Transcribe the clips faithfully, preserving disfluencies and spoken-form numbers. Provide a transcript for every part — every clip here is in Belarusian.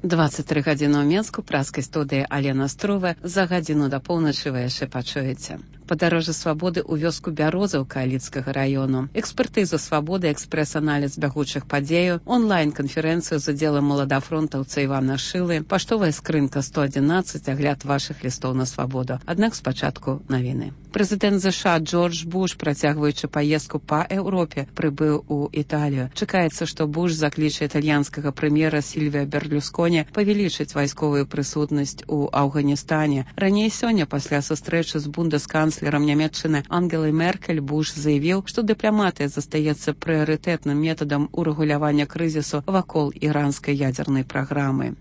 дваццаць тры гадзіны ў Менску, праскай студыі Алена Строва. За гадзіну да поўначы вы яшчэ пачуеце. Падарожжа свабоды ў вёску Бярозаўка Аліцкага раёну. Экспертызу свабоды, экспрэс-аналіз бягучых падзеяў, онлайн-канферэнцыю з удзелам маладафронтаўца Івана Шылы, паштовая скрынка сто адзінаццаць, агляд вашых лістоў на свабоду. Аднак спачатку навіны. Прэзідэнт ЗША Джордж Буш, працягваючы паездку па Еўропе, прыбыў у Італію. Чакаецца, што Буш закліча італьянскага прэм'ера Сільвіа Берлюсконі павялічыць вайсковую прысутнасць у Афганістане. Раней сёння, пасля сустрэчы з бундесканцлерам Нямецчыны Ангелай Меркель, Буш заявіў, што дыпламатыя застаецца прыярытэтным метадам урэгулявання крызісу вакол іранскай ядзернай праграмы.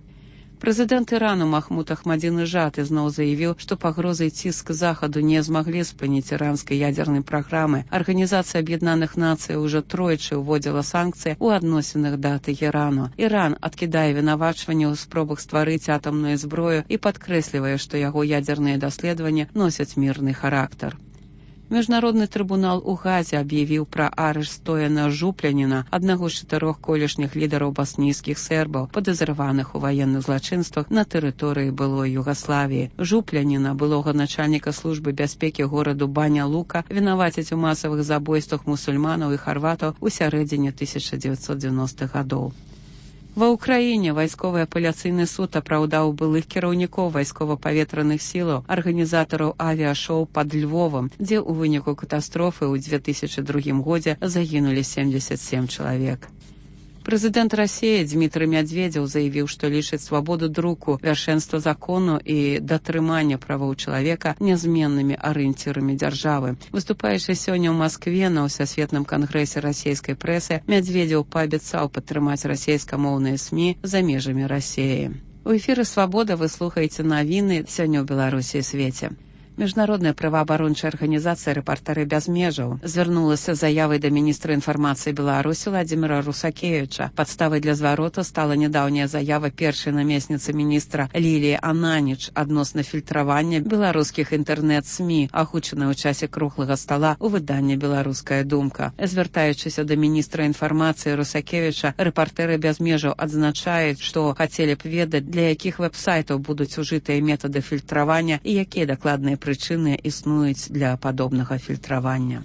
Прэзідэнт Ірану Махмуд Ахмадзінежад ізноў заявіў, што пагрозы і ціск захаду не змаглі спыніць іранскай ядзернай праграмы. Арганізацыя Аб'яднаных Нацый ўжо тройчы ўводзіла санкцыі ў адносінах да Тэхерану. Іран адкідае вінавачванне ў спробах стварыць атамную зброю і падкрэслівае, што яго ядзерныя даследаванні носяць мірны характар. Міжнародны трыбунал у Газе аб'явіў пра арышт Стояна Жупляніна, аднаго з чатырох колішніх лідараў баснійскіх сербаў, падазраваных у ваенных злачынствах на тэрыторыі былой Югаславіі. Жупляніна, былога начальніка службы бяспекі гораду Баня-Лука, вінавацяць у масавых забойствах мусульманаў і харватаў у сярэдзіне тысяча дзевяцьсот дзевяностых гадоў. Ва ўкраіне вайсковы апеляцыйны суд апраўдаў былых кіраўнікоў вайскова-паветраных сілаў, арганізатараў авіашоу пад Львовам, дзе ў выніку катастрофы ў две тысячы другім годзе загінулі семьдзесят сем чалавек. Прэзідэнт Расіі Дмітрый Мядзведзеў заявіў, што лічыць свабоду друку, вяршэнства закону і датрымання правоў чалавека нязменнымі арыенцірамі дзяржавы. Выступаючы сёння ў Маскве на ўсасветным кангрэсе расійскай прэсы, Мядзведзеў паабяцаў падтрымаць расійскамоўныя СМІ за межамі Расіі. У эфіры «Свабода» вы слухаеце навіны сёння ў Беларусі і свеце. Міжнародная праваабарончая арганізацыя «Рэпартары без межаў» звярнулася з заявай да міністра інфармацыі Беларусі Владзіміра Русакевіча. Падставай для звароту стала нядаўняя заява першай намесніцы міністра Ліліі Ананіч адносна фільтравання беларускіх інтэрнэт-СМІ, агучаная ў часе круглага стала ў выданні «Беларуская думка». Звяртаючыся да міністра інфармацыі Русакевіча, «Рэпартары без межаў» адзначаюць, што хацелі б ведаць, для якіх вэб-сайтаў будуць ужытыя метады фільтравання і якія дакладныя прычыны існуюць для падобнага фільтравання.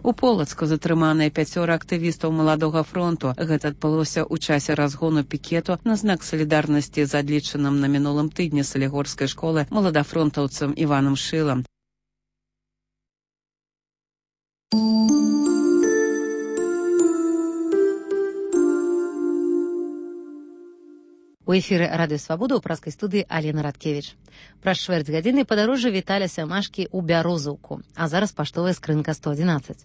У Полацку затрыманыя пяцёра актывістаў маладога фронту. Гэта адбылося ў часе разгону пікету на знак салідарнасці з адлічаным на мінулым тыдні салігорскай школы маладафронтаўцам Іванам Шылам. У эфіры радыё «Свабода» ў праскай студыі Алена Радкевіч. Праз чвэрць гадзіны падарожжа Віталя Сямашкі ў Бярозаўку, а зараз паштовая скрынка сто адзінаццаць.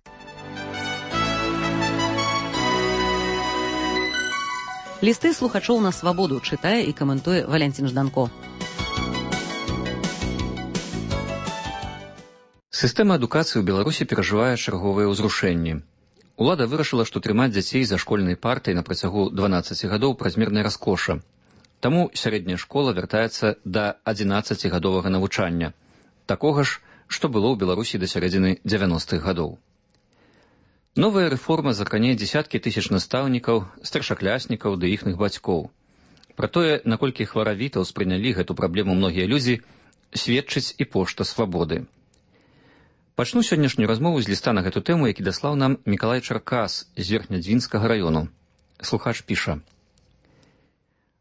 Лісты слухачоў на «Свабоду» чытае і каментуе Валянцін Жданко. Сістэма адукацыі ў Беларусі перажывае чарговыя ўзрушэнні. Улада вырашыла, што трымаць дзяцей за школьнай партай на працягу дванаццаці гадоў празмерная раскоша. Таму сярэдняя школа вяртаецца да адзінаццацігадовага навучання, такога ж, што было ў Беларусі да сярэдзіны дзевяностых гадоў. Новая рэформа закране дзесяткі тысяч настаўнікаў, старшакляснікаў ды іхных бацькоў. Пра тое, наколькі хваравіта ўспрынялі гэту праблему многія людзі, сведчыць і пошта «Свабоды». Пачну сённяшнюю размову з ліста на гэту тэму, які даслаў нам Мікалай Чаркас з Верхнядзвінскага раёну. Слухач піша: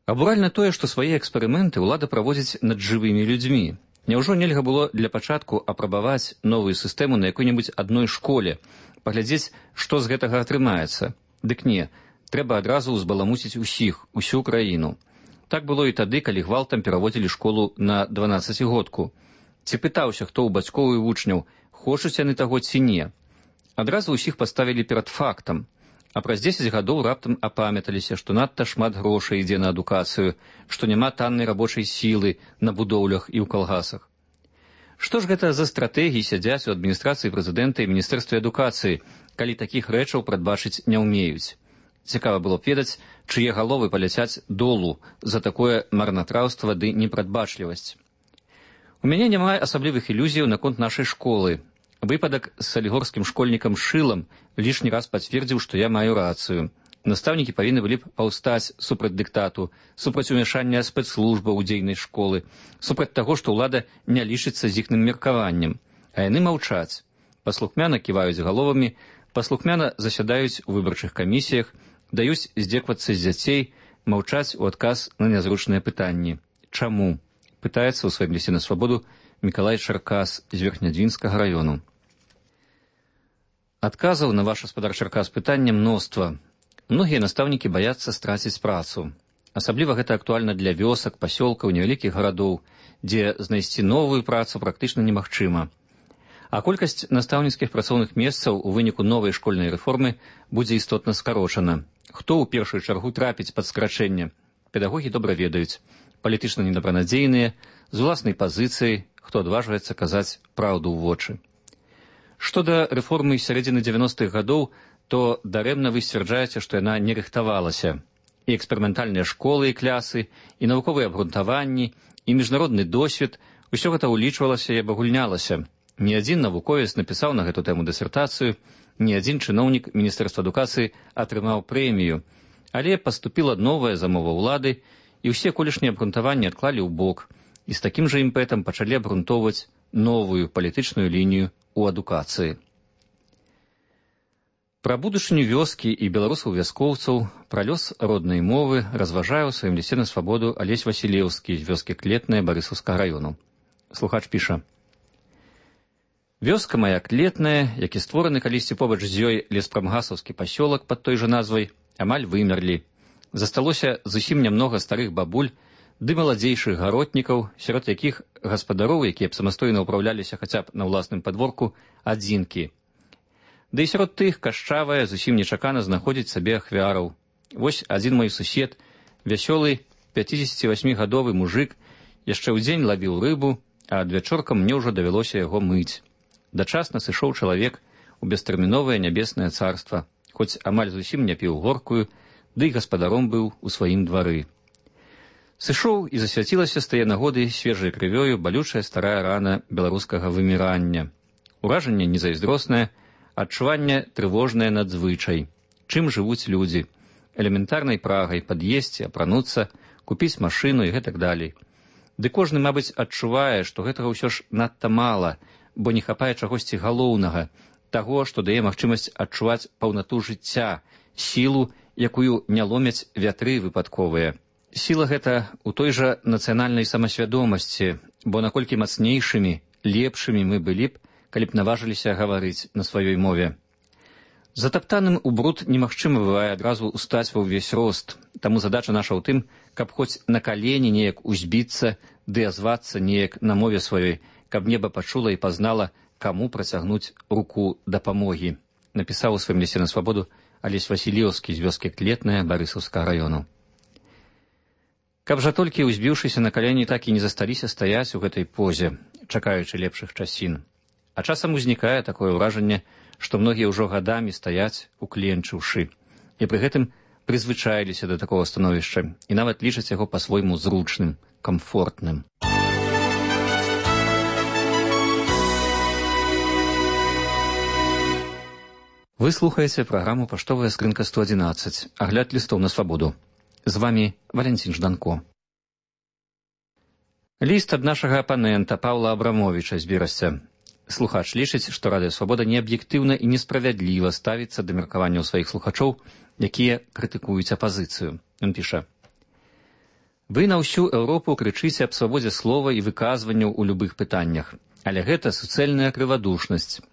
«Абуральна тое, што свае эксперыменты ўлада праводзіць над жывымі людзьмі. Няўжо нельга было для пачатку апрабаваць новую сістэму на якой-небудзь адной школе, паглядзець, што з гэтага атрымаецца? Дык не, трэба адразу ўзбаламуціць усіх, усю краіну. Так было і тады, калі гвалтам пераводзілі школу на дванаццацігодку. Ці пытаўся, хто ў бацькоў і вучняў, хочуць яны таго ці не. Адразу ўсіх паставілі перад фактам. А праз дзесяць гадоў раптам апамяталіся, што надта шмат грошай ідзе на адукацыю, што няма таннай рабочай сілы на будоўлях і ў калгасах. Што ж гэта за стратэгіі сядзяць у адміністрацыі прэзідэнта і міністэрстве адукацыі, калі такіх рэчаў прадбачыць не ўмеюць? Цікава было б ведаць, чые галовы паляцяць долу за такое марнатраўства ды непрадбачлівасць. У мяне няма асаблівых ілюзіяў наконт нашай школы. Выпадак з салігорскім школьнікам Шылам лішні раз пацвердзіў, што я маю рацыю. Настаўнікі павінны былі б паўстаць супраць дыктату, супраць умяшання спецслужбаў у дзейнасць школы, супраць таго, што ўлада не лічыцца з іхным меркаваннем. А яны маўчаць. Паслухмяна ківаюць галовамі, паслухмяна засядаюць у выбарчых камісіях, даюць здзеквацца з дзяцей, маўчаць у адказ на нязручныя пытанні. Чаму? Пытаецца ў сваім лісце на свабоду Мікалай Чаркас з Верхнядвінскага раёну. Адказаў на ваш гаспадар Чаркас пытання мноства. Многія настаўнікі баяцца страціць працу. Асабліва гэта актуальна для вёсак, пасёлкаў, невялікіх гарадоў, дзе знайсці новую працу практычна немагчыма. А колькасць настаўніцкіх працоўных месцаў у выніку новай школьнай рэформы будзе істотна скарочана. Хто ў першую чаргу трапіць пад скарачэнне? Педагогі добра ведаюць. Палітычна недабранадзейныя, з уласнай пазіцыяй, хто адважваецца казаць праўду ў вочы. Што да рэформы сярэдзіны дзевяностых гадоў, то дарэмна вы сцвярджаеце, што яна не рыхтавалася. І эксперыментальныя школы і клясы, і навуковыя абгрунтаванні, і міжнародны досвед – усё гэта ўлічвалася і абагульнялася. Ні адзін навуковец напісаў на гэту тэму дысертацыю, ні адзін чыноўнік Міністэрства адукацыі атрымаў прэмію. Але паступіла новая замова ўлады, і ўсе колішнія абгрунтаванні адклалі ў бок, і з такім жа імпэтам пачалі абгрунтоўваць новую палітычную лінію ў адукацыі. Пра будучыню вёскі і беларусаў-вяскоўцаў, пра лёс роднай мовы разважае ў сваім лісце на свабоду Алесь Васілеўскі з вёскі Клетная Барысаўскага раёну. Слухач піша. Вёска мая Клетная, які створаны калісьці побач з ёй леспрамгасаўскі пасёлак пад той жа назвай, амаль вымерлі. Засталося зусім нямнога старых бабуль ды маладзейшых гаротнікаў, сярод якіх гаспадароў, якія б самастойна ўпраўляліся хаця б на ўласным падворку, адзінкі. Да і сярод тых кашчавая зусім нечакана знаходзіць сабе ахвяраў. Вось адзін мой сусед, вясёлы пяцідзесяцівасьмігадовы мужык, яшчэ ў дзень лавіў рыбу, а адвячоркам мне ўжо давялося яго мыць. Дачасна сышоў чалавек у бестэрміновае нябеснае царства, хоць амаль зусім не піў горкую, ды і гаспадаром быў у сваім двары. Сышоў і засвяцілася з тае нагоды свежай крывёю балючая старая рана беларускага вымірання. Уражанне незайздроснае, адчуванне трывожнае надзвычай. Чым жывуць людзі? Элементарнай прагай пад'есці, апрануцца, купіць машыну і гэтак далей. Ды кожны, мабыць, адчувае, што гэтага ўсё ж надта мала, бо не хапае чагосьці галоўнага, таго, што дае магчымасць адчуваць паўнату жыцця, сілу, якую не ломяць вятры выпадковыя. Сіла гэта ў той жа нацыянальнай самасвядомасці, бо наколькі мацнейшымі, лепшымі мы былі б, калі б наважыліся гаварыць на сваёй мове. Затаптаным у бруд немагчыма бывае адразу устаць ва ўвесь рост, таму задача наша ў тым, каб хоць на калені неяк узбіцца ды азвацца неяк на мове сваёй, каб неба пачула і пазнала, каму працягнуць руку дапамогі, напісаў у сваім лісце на свабоду Алесь Васілеўскі з вёскі Клетная Барысаўскага раёну. Каб жа толькі, узбіўшыся на калені, так і не засталіся стаяць у гэтай позе, чакаючы лепшых часін. А часам узнікае такое ўражанне, што многія ўжо гадамі стаяць, укленчыўшы, і пры гэтым прызвычаіліся да такога становішча і нават лічаць яго па-свойму зручным, камфортным. Вы слухаеце праграму «Паштовая скрынка сто адзінаццаць», агляд лістоў на свабоду. З вамі Валянцін Жданко. Ліст ад нашага апанента Паўла Абрамовіча з Берасця. Слухач лічыць, што Радыё Свабода неаб'ектыўна і несправядліва ставіцца да меркаванняў сваіх слухачоў, якія крытыкуюць апазіцыю. Ён піша. Вы на ўсю Еўропу крычыце аб свабодзе слова і выказванняў у любых пытаннях. Але гэта суцэльная крывадушнасць.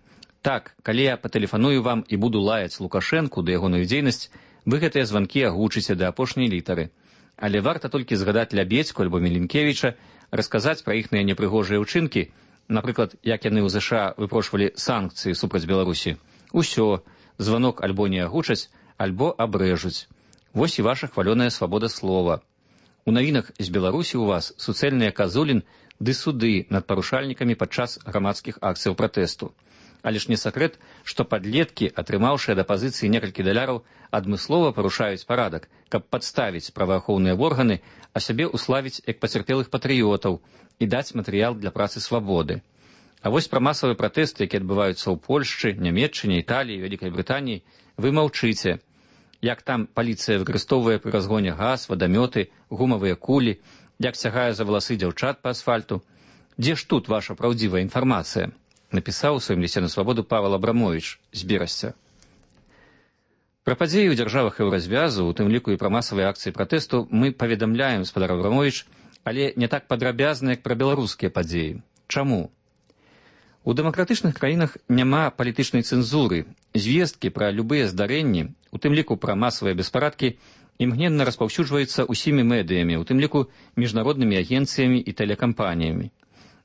Так, калі я патэлефаную вам і буду лаяць Лукашэнку да ягоную дзейнасць, вы гэтыя званкі агучыце да апошняй літары. Але варта толькі згадаць Лябедзьку альбо Міленкевіча, расказаць пра іхныя непрыгожыя ўчынкі, напрыклад, як яны ў ЗША выпрошвалі санкцыі супраць Беларусі. Усё, званок альбо не агучаць, альбо абрэжуць. Вось і ваша хвалёная свабода слова. У навінах з Беларусі ў вас суцэльныя казулін ды суды над парушальнікамі падчас грамадскіх акцыяў пратэсту. Але ж не сакрэт, што падлеткі, атрымаўшыя да пазіцыі некалькі даляраў, адмыслова парушаюць парадак, каб падставіць праваахоўныя органы, а сябе уславіць як пацярпелых патрыётаў і даць матэрыял для працы свабоды. А вось пра масавыя пратэсты, якія адбываюцца ў Польшчы, Нямецчыне, Італіі, Вялікай Брытаніі, вы маўчыце. як там паліцыя выкарыстоўвае пры разгоне газ, вадамёты, гумавыя кулі, як сягае за валасы дзяўчат па асфальту. Дзе ж тут ваша праўдзівая інфармацыя? Напісаў у сваім лісце на свабоду Павел Абрамовіч з Берасця. Пра падзеі ў дзяржавах еўразвязу, у тым ліку і пра масавыя акцыі пратэсту, мы паведамляем, спадар Абрамовіч, але не так падрабязна, як пра беларускія падзеі. Чаму? У дэмакратычных краінах няма палітычнай цэнзуры. Звесткі пра любыя здарэнні, у тым ліку пра масавыя беспарадкі, імгненна распаўсюджваюцца ўсімі медыямі, у тым ліку міжнароднымі агенцыямі і тэлекампаніямі.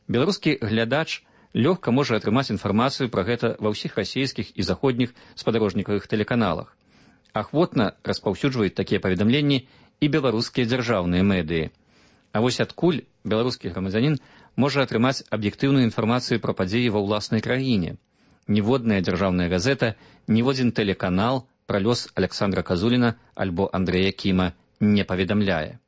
Беларускі глядач лёгка можа атрымаць інфармацыю пра гэта ва ўсіх расійскіх і заходніх спадарожнікавых тэлеканалах. Ахвотна распаўсюджваюць такія паведамленні і беларускія дзяржаўныя медыі. А вось адкуль беларускі грамадзянін можа атрымаць аб'ектыўную інфармацыю пра падзеі ва ўласнай краіне? Ніводная дзяржаўная газета, ніводзін тэлеканал пра лёс Аляксандра Казуліна альбо Андрэя Кіма не паведамляе.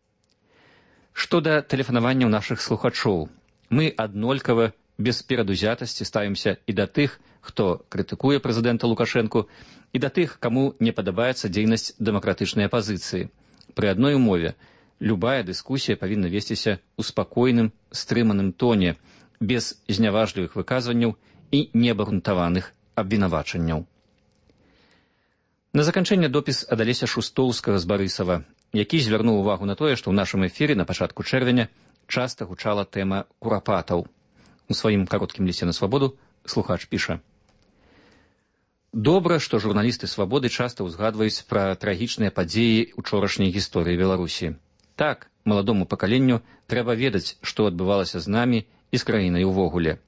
Што да тэлефанаванняў нашых слухачоў, мы аднолькава, без перадузятасці ставімся і да тых, хто крытыкуе прэзідэнта Лукашэнку, і да тых, каму не падабаецца дзейнасць дэмакратычнай апазіцыі. Пры адной умове, любая дыскусія павінна весціся ў спакойным, стрыманым тоне, без зняважлівых выказванняў і неабгрунтаваных абвінавачанняў. На заканчэнне допіс ад Алеся Шустоўскага з Барысава, які звярнуў увагу на тое, што ў нашым эфіры на пачатку чэрвеня часта гучала тэма курапатаў. У сваім кароткім лісце на свабоду слухач піша: «Добра, што журналісты свабоды часта ўзгадваюць пра трагічныя падзеі учорашняй гісторыі Беларусі. Так, маладому пакаленню трэба ведаць, што адбывалася з намі і з краінай увогуле.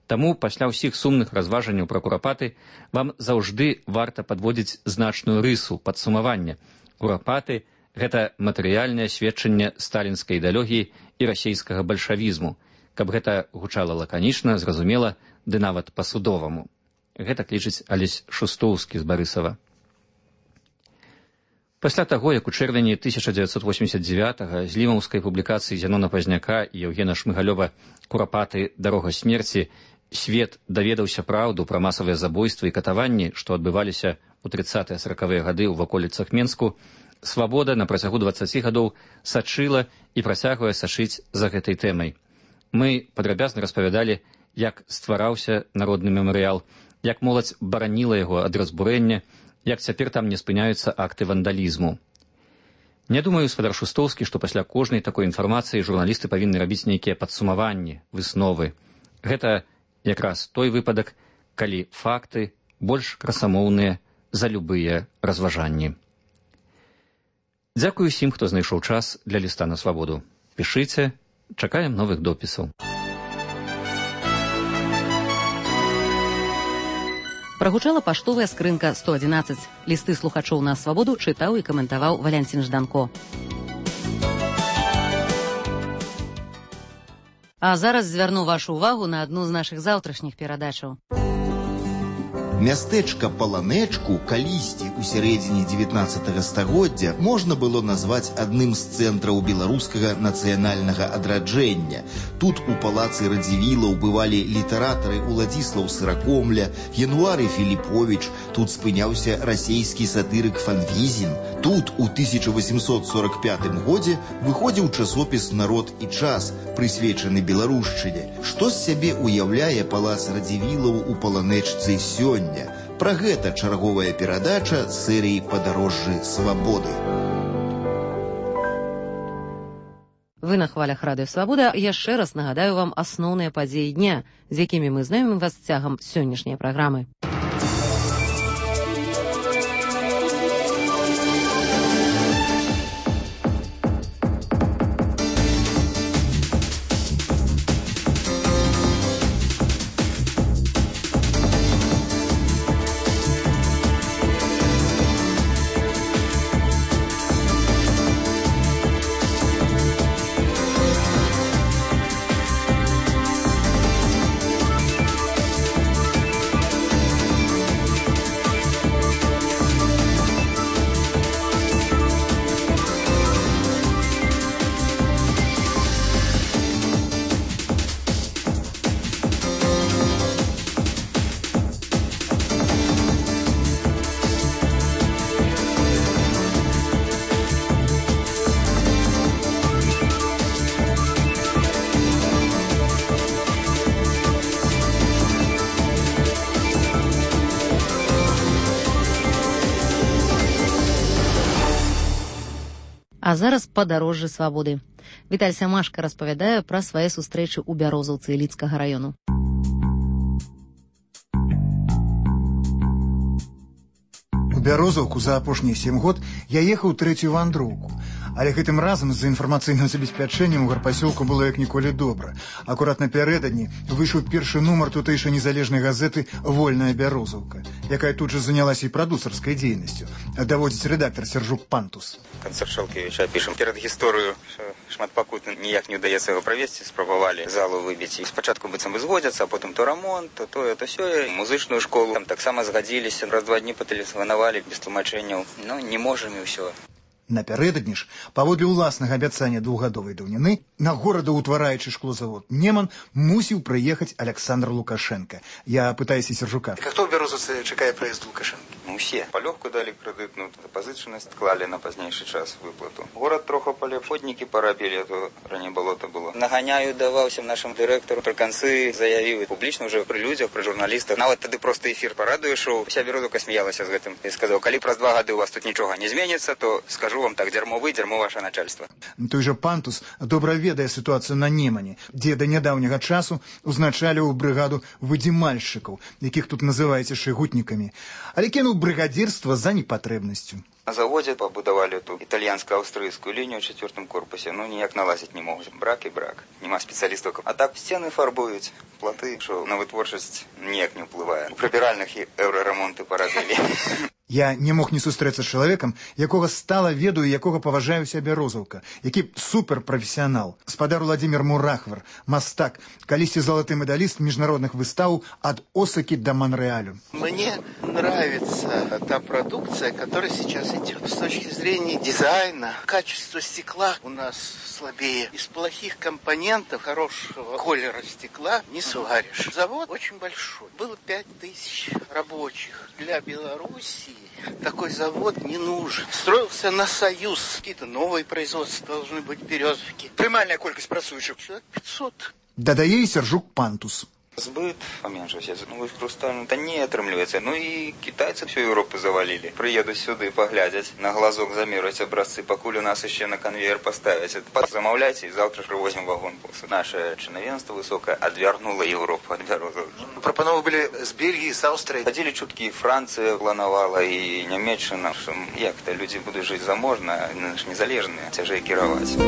Таму пасля ўсіх сумных разважанняў пра курапаты вам заўжды варта падводзіць значную рысу падсумавання. Курапаты – гэта матэрыяльнае сведчанне сталінскай ідэалогіі і расейскага бальшавізму, каб гэта гучала лаканічна, зразумела, ды нават па-судоваму». Гэта клічыць Алесь Шустоўскі з Барысава. Пасля таго, як у чэрвені тысяча дзевяцьсот восемьдесят девятага з лімаўскай публікацыі Зянона Пазняка і Еўгена Шмыгалёва «Курапаты. Дарога смерці» свет даведаўся праўду пра масавыя забойствы і катаванні, што адбываліся ў трыццатыя саракавыя гады ў ваколіцах Менску, свабода на працягу дваццаці гадоў сачыла і працягвае сачыць за гэтай тэмай. Мы падрабязна распавядалі, як ствараўся народны мемарыял, як моладзь бараніла яго ад разбурэння, як цяпер там не спыняюцца акты вандалізму. Не думаю, спадар Шустоўскі, што пасля кожнай такой інфармацыі журналісты павінны рабіць нейкія падсумаванні, высновы. Гэта якраз той выпадак, калі факты больш красамоўныя за любыя разважанні. Дзякую усім, хто знайшоў час для ліста на свабоду. Пішыце, чакаем новых допісаў. Прагучала паштовая скрынка сто адзінаццаць. Лісты слухачоў на свабоду чытаў і каментаваў Валянцін Жданко. А зараз звярну вашу увагу на адну з нашых заўтрашніх перадачаў. Мястэчка Паланэчку калісьці ў сярэдзіне дзевятнаццатага стагоддзя можна было назваць адным з цэнтраў беларускага нацыянальнага адраджэння. Тут у палацы Радзівілаў бывалі літаратары Уладзіслаў Сыракомля, Януары Філіповіч, тут спыняўся расейскі сатырык Фанвізін. Тут у тысяча восемьсот сорок пятым годзе выходзіў часопіс «Народ і час», прысвечаны беларушчыне. Што з сябе уяўляе палац Радзівілаў у Паланэчцы сёння? Пра гэта чарговая перадача серыі «Падарожжы свабоды». Вы на хвалях радыё «Свабода». Яшчэ раз нагадаю вам асноўныя падзеі дня, з якімі мы знаёмім вас цягам сённяшняй праграмы. А зараз падарожжа свабоды. Віталь Сямашка распавядае пра свае сустрэчы ў Бярозаўцы Іліцкага раёну. У Бярозаўку за апошнія сем год я ехаў трэцюю вандроўку. Але гэтым разам з-за інфармацыйным забеспячэннем у гарпасёлку было як ніколі добра. Акурат напярэдадні выйшаў першы нумар тутэйшай незалежнай газеты «Вольная Бярозаўка», якая тут жа занялася і прадусарскай дзейнасцю. Даводзіць рэдактар Сержук Пантус. Канцэрт Шалкевіча пішам перад гісторыю, што шматпакутна ніяк не ўдаецца яго правесці, спрабавалі залу выбіць. Спачатку быццам бы згодзяцца, а потым то рамонт, то тое, то сёе. Музычную школу там таксама згадзіліся, раз-два дні патэлефанавалі без тлумачэнняў. Ну, не можам і ўсё. Напярэдадні ж, паводле ўласнага абяцання двухгадовай даўніны, на горадаўтвараючы шклозавод «Неман» мусіў прыехаць Александр Лукашенко. Я пытаюся Сержука. А хто ў Бярозаўцы чакае прыезд Лукашенко? Ну, усе. Палёгку далі крэдытную, запазычанасць клалі на пазнейшы час выплату. Горад троху палепш, ходнікі парабілі, а то раней балота было. Наганяю даваўся нашым дырэктару, пры канцы заявіў публічна ўжо пры людзях, пры журналістах. Нават тады проста эфір па радыё шоу. Уся Бярозаўка смяялася з гэтым. І сказаў, калі праз два гады у вас тут нічога не зменіцца, то скажу вам так, дзярмо вы, дзярмо ваше начальство. Той жа Пантус добра ведае сітуацыю на Немане, дзе да нядаўняга часу узначаліў брыгаду выдзімальшчыкаў, якіх тут называеце шыгутнікамі, але кінуў брыгадзірства за непатрэбнасцю. На заводе побудовали эту итальянско-австрийскую линию в четвертом корпусе. Ну, ніяк наладить не могут. Брак и брак. Нема специалистов. А так стены фарбуют, плоты, что на вытворчесть ніяк не ўплывае. У прыбіральных і еўрарамонты парабілі. Я не мог не сустрэцца з чалавекам, якога стала ведаю, якога паважаю сябе Розаўка, які суперпрафесіянал. Спадар Владимир Мурахвар, мастак, калісьці залаты медаліст міжнародных выстаў ад Осакі до Монреалю. Мне нравится та продукция, которая сейчас идет. С точки зрения дизайна, качество стекла у нас слабее. Из плохих компонентов хорошего колера стекла не сваришь. Завод очень большой. Было пять тысяч рабочих. Для Белоруссии такой завод не нужен. Строился на союз. Какие-то новые производства должны быть березовки. Прымальная колькасць працуючых. Человек пятьсот. Дадае Сержук Пантус. Збыт поменшился. Ну, просто это не отрымливается. Ну и китайцы всю Европу завалили. Приедут сюда, поглядят, на глазок замерить образцы, покуль у нас еще на конвейер поставить. Замовляйте, и завтра же привозим вагон. Наше чиновенство высокое отвернуло Европу от Бярозаўкі. Прапановы были с Бельгии, с Австрии. Ходили чутки, и Франция планувала, и Нямецчина. Як-то люди будут жить заможно, незалежные, тяжей кировать.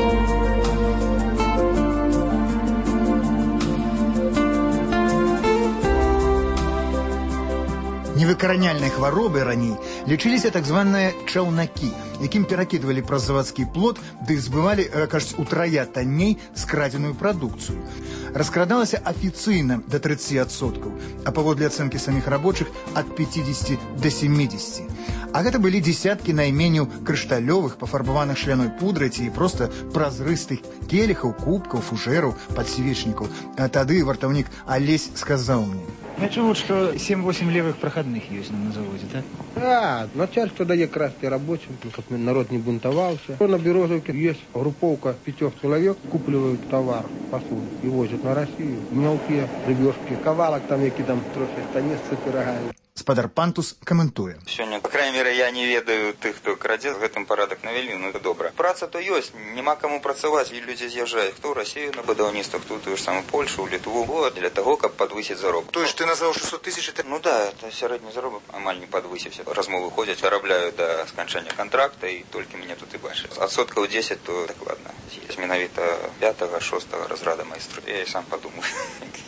Невыкараняльнай хваробай раней лічыліся так званыя чаўнакі, якім перакідвалі праз завадскі плот, ды збывалі, кажуць, утрая танней скрадзеную прадукцыю. Раскрадалася афіцыйна да тридцати адсоткаў, а паводле ацэнкі саміх рабочых ад пятидесяти до семидесяти. А гэта былі дзесяткі найменняў крышталёвых, пафарбаваных шляной пудрай ці проста празрыстых келіхаў, кубкаў, фужэраў, падсвечнікаў. А тады вартаўнік Алесь сказаў мне: Я чув, что семь-восемь левых проходных есть на заводе, так? Да, начальство дает красти рабочим, чтобы народ не бунтовался. На Березовке есть групповка пятерых человек, купливают товар, посуду и возят на Россию. Мелкие рыбешки, ковалок там, які там трохи станицы пирогают. Спадар Пантус каментуе. Сёння, по крайней мере, я не ведаю тых, хто крадзе, гэтым парадак навялі, ну это добра. Праца то ёсць, няма каму працаваць, і людзі з'язджаюць, хто ў Расію на будаўніцтвах, хто тую ж самую Польшу, Літву, вот, для того, каб падвысіць заробак. То есть ты назваў шестьсот тысяч? Ну да, это сярэдні заробак амаль не падвысіўся. Размовы ходзяць, вырабляю да сканчэння кантракта, і толькі мяне тут і бачаць. Адсоткаў дзесяць, то дакладна. Есть менавіта пятага, шостага разрада майстру. Я і сам падумаю,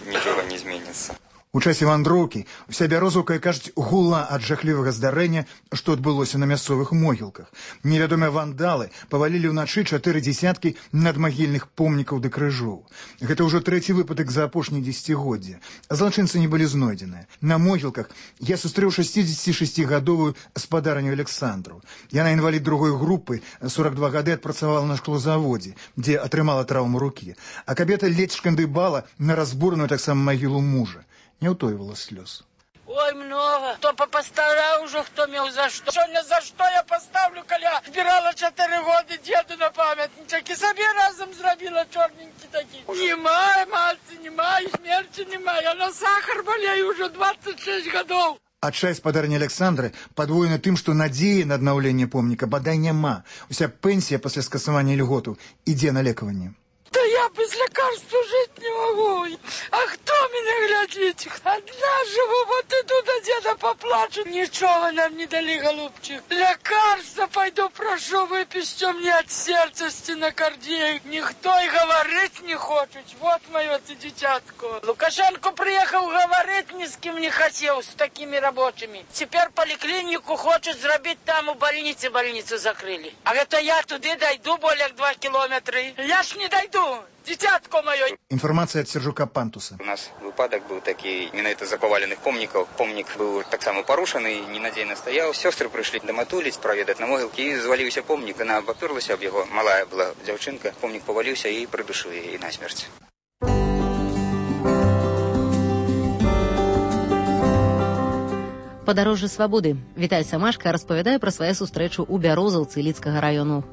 нічога не зменіцца. У часе вандроўкі уся Бярозаўка, кажуць, гула ад жахлівага здарэння, што адбылося на мясцовых могілках. Невядомыя вандалы павалілі ўначы чатыры дзесяткі надмагільных помнікаў ды крыжоў. Гэта ўжо трэці выпадак за апошнія дзесяцігоддзі. Злачынцы не былі знойдзеныя. На могілках я сустрэў шэсцідзесяцішасцігадовую спадарню Александру. Яна інвалід другой групы, сорок два гады адпрацавала на шклозаводзе, дзе атрымала траўму рукі. А кабета ледзь шкандыбала на разбураную таксама магілу мужа. Не ўтойвала слёз. Ой, много. Хто попастараў ужо, хто меў за што. Сёння за што я паставлю, калі я збірала чатыры годы дзеду на памятнічак і сабе разам зрабіла чорненькі такі. Нема, мальцы, нема, і смерці нема. Я на сахар балею ўжо двадцать шесть гадоў. Адчай спадарні Александры падвоены тым, што надзеі на аднаўленне помніка бадай няма. Уся пенсія пасля скасавання льготу ідзе на лекаванне. Да я без лекарства жить не могу. А кто меня глядит? Одна живу, вот иду до деда поплачу. Ничего нам не дали, голубчик. Лекарства пойду прошу, выпишите мне от сердца стенокардию. Никто и говорить не хочет. Вот мое ты дитятко. Лукашенко приехал, говорить ни с кем не хотел, с такими рабочими. Теперь поликлинику хочет сделать там у больницы, больницу закрыли. А это я туда дойду более два километра. Я ж не дойду. Дитятко мое. Інфармацыя ад Сержука Пантуса. У нас выпадак быў такі, менавіта з-за паваленых помнікаў. Помнік быў таксама парушаны, ненадзейна стаяў. Сёстры прыйшлі даматуліць, праведаць на могілкі, і зваліўся помнік. Яна абапёрлася аб яго. Малая была дзяўчынка. Помнік паваліўся і прыдушыў яе насмерць. Падарожжа свабоды. Віталь Самашка распавядае пра сваю сустрэчу ў Бярозаўцы Лідскага раёну.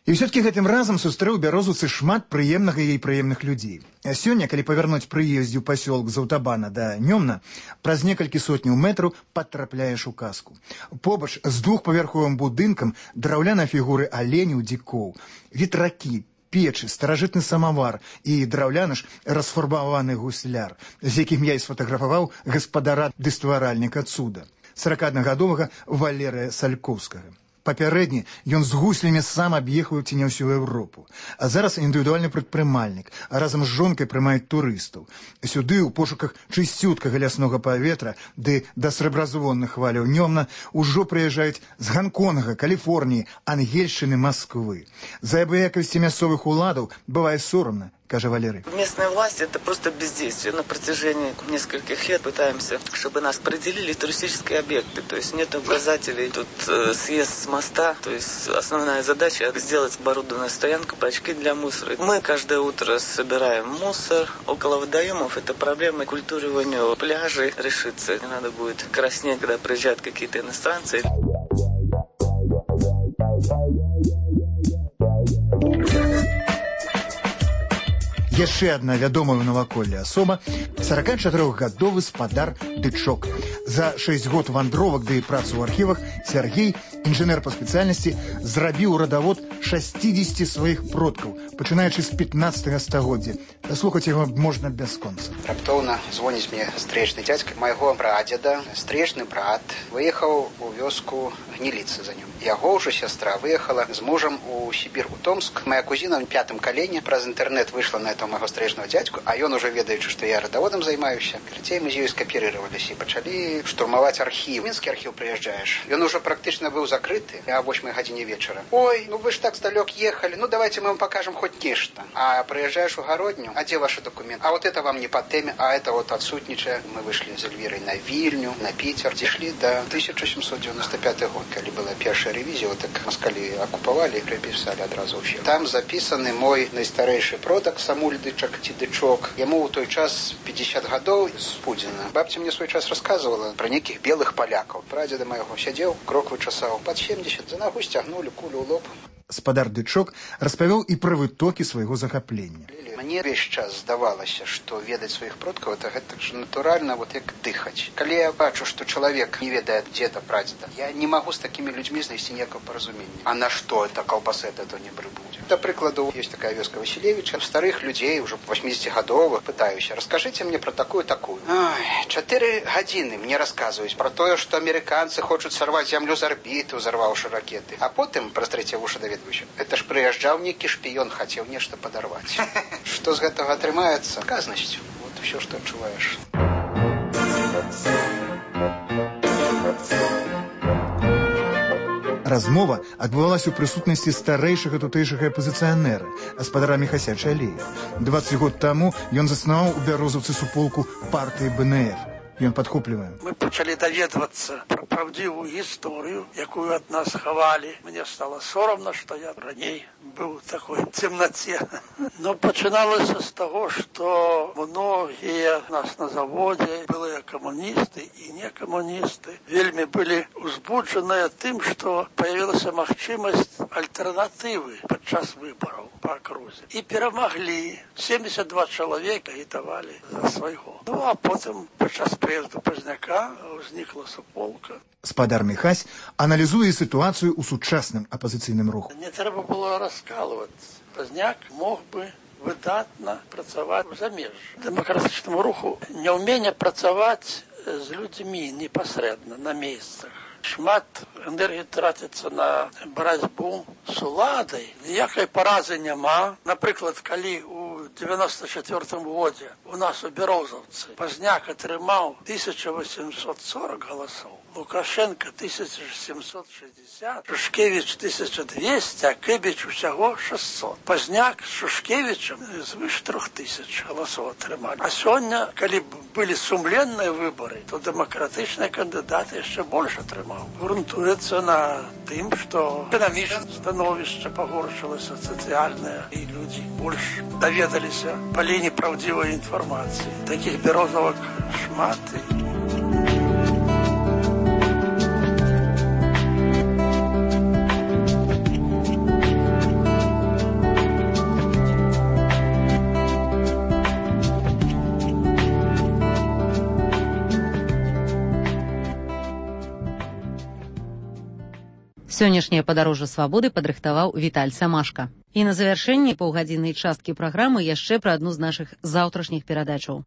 І ўсё-ткі гэтым разам сустрэў Бярозаўцы шмат прыемнага і прыемных людзей. А сёння, калі павярнуць прыездзе ў пасёлак з аўтабана да Нёмна, праз некалькі сотняў метраў патрапляеш у казку. Побач з двухпавярховым будынкам драўляныя фігуры аленяў, дзікоў, ветракі, печы, старажытны самавар і драўляны ж расфарбаваны гусляр, з якім я і сфотаграфаваў гаспадара ды стваральніка цуда, саракаднагадовага Валерыя Салькоўскага. Папярэдні ён з гуслямі сам аб'ехаў ці не ўсю Еўропу. А зараз індывідуальны прадпрымальнік, а разам з жонкай прымаюць турыстаў. Сюды ў пошуках чысцюткага ляснога паветра ды да срэбразвонных хваляў Нёмна ўжо прыязджаюць з Ганконга, Каліфорніі, Ангельшчыны, Масквы. За абыякавасці мясцовых уладаў бывае сорамна, каже Валерий. Местная власть — это просто бездействие. На протяжении нескольких лет пытаемся, чтобы нас определили туристические объекты. То есть нет указателей. Тут э, съезд с моста. То есть основная задача — сделать оборудованную стоянку, бачки для мусора. Мы каждое утро собираем мусор. Около водоемов эта проблема культуривания пляжей решится. Не надо будет краснеть, когда приезжают какие-то иностранцы. Яшчэ адна вядомая ў наваколлі асоба — саракачатырохгадовы спадар Дычок. За шэсць год вандровак ды працу ў архівах Сергей, інжынер па спецыяльнасці, зрабіў радавод шасцідзесяці сваіх продкаў, пачынаючы з пятнаццатага стагоддзя. Слухаць яго можна бясконца. Раптоўна звоніць мне стрэчны дзядзька майго прадзеда. Стрэчны брат выехаў у вёску гніліцца за ним. Яго ўжо сястра выехала з мужам у Сібір, у Томск. Моя кузіна ў пятым калене праз інтэрнэт выйшла на этого майго стрэчнага дзядзьку, а ён ужо ведаючы, што я радаводам займаюся. Карацей, мы з ёй скапірыраваліся і пачалі штурмаваць архіў. Мінскі архіў прыязджаеш. Ён ужо практычна быў закрыты а восьмай гадзіне вечара. Ой, ну вы ж так здалёк ехалі, ну давайте мы вам покажем хоть нешта. А прыязджаеш у гародню, а дзе ваши документы? А вот это вам не по теме, а это вот отсутнічае. Мы выйшлі з Эльвірай на Вільню, на Піцер, дійшлі до тысяча сямьсот девяносто пятый год, калі была першая рэвізія, вот так москалі акупавалі і припісалі адразу ўсё. Там запісаны мой найстарэйшы продак Самуль Дычак ці Дычок. Яму ў той час пятьдесят гадоў з Пудзіна. Бабця мне свой час рассказывала про неких белых полякаў. Прадзеда майго сядзеў, крок вычасаў под семьдесят, за ногу сцягнули кулю ў лоб. Спадар Дычок распавёў і пра вытокі свайго захаплення. Мне весь час здавалася, што ведаць сваіх продкаў это гэта ж натуральна, вот як дыхаць. Калі я бачу, што чалавек не ведае дзеда прадзеда, я не магу з такімі людзьмі знайсці ніякага паразумення. А на што это колбасы это то не прыбудзе? Да прыкладу, есть такая вёска Василевича, старых людзей, уже восьмидесятигадовых, пытаюся, расскажите мне про такую-такую. Ой, чатыры гадзіны мне расказваюць про тое, што амерыканцы хочуць сарваць зямлю з арбіты, узарваўшы ракеты. А потым праз трэція вушы даведваюся. Это ж прыязджаў нейкі шпіён, хацеў нешта падарваць. Што з гэтага атрымаецца? Казнасцю. Вот усё, што адчуваеш. Размова адбывалася ў прысутнасці старэйшага тутэйшага апазіцыянера, гаспадара Міхася Чалея. дваццаць год таму ён заснаваў у Бярозаўцы суполку партыі бэ эн эф. Ён падхоплівае. Мы пачалі даведвацца пра правдзівую гісторыю, якую ад нас хавалі. Мне стало сорамна, што я раней быў у такой цемнаце. Но пачыналася з таго, што многія нас на заводзе, былыя камуністы і некамуністы, вельмі былі узбуджаныя тым, што появілася магчымасць альтэрнатывы падчас выбараў па акрузе. І перамаглі. семьдесят два чалавека агітавалі за свайго. Ну, а потым падчас прыезду Пазняка ўзнікла суполка. Спадар Міхась аналізуе сітуацыю ў сучасным апазіцыйным руху. Не трэба было раскалваць. Пазняк мог бы выдатна працаваць у замежжы. Дэмакратычнаму руху няўменне працаваць з людзьмі непасрэдна на месцах. Шмат энергії тратиться на боротьбу з уладой. Ніякої поразы нема. Наприклад, коли у девяносто четвёртом году у нас у Березовці Пазняк отримав тисяча вісімсот сорок голосів, Лукашенко тисяча сімсот шістдесят, Шушкевич тисяча двісті, а Кибіч усього шістсот. Пазняк з Шушкевичем звыш трьох тисяч голосів отримали. А сьогодні, коли були сумленні вибори, то демократичні кандидати ще більше отримали. Грунтується на тим, що економічне становище погоршилося, соціальне, і люди більше довідалися по лінії правдивої інформації. Таких Березовок шмат. Сённяшняе падарожжа свабоды падрыхтаваў Віталь Самашка. І на завяршэнні паўгадзіннай часткі праграмы яшчэ пра адну з нашых заўтрашніх перадачаў.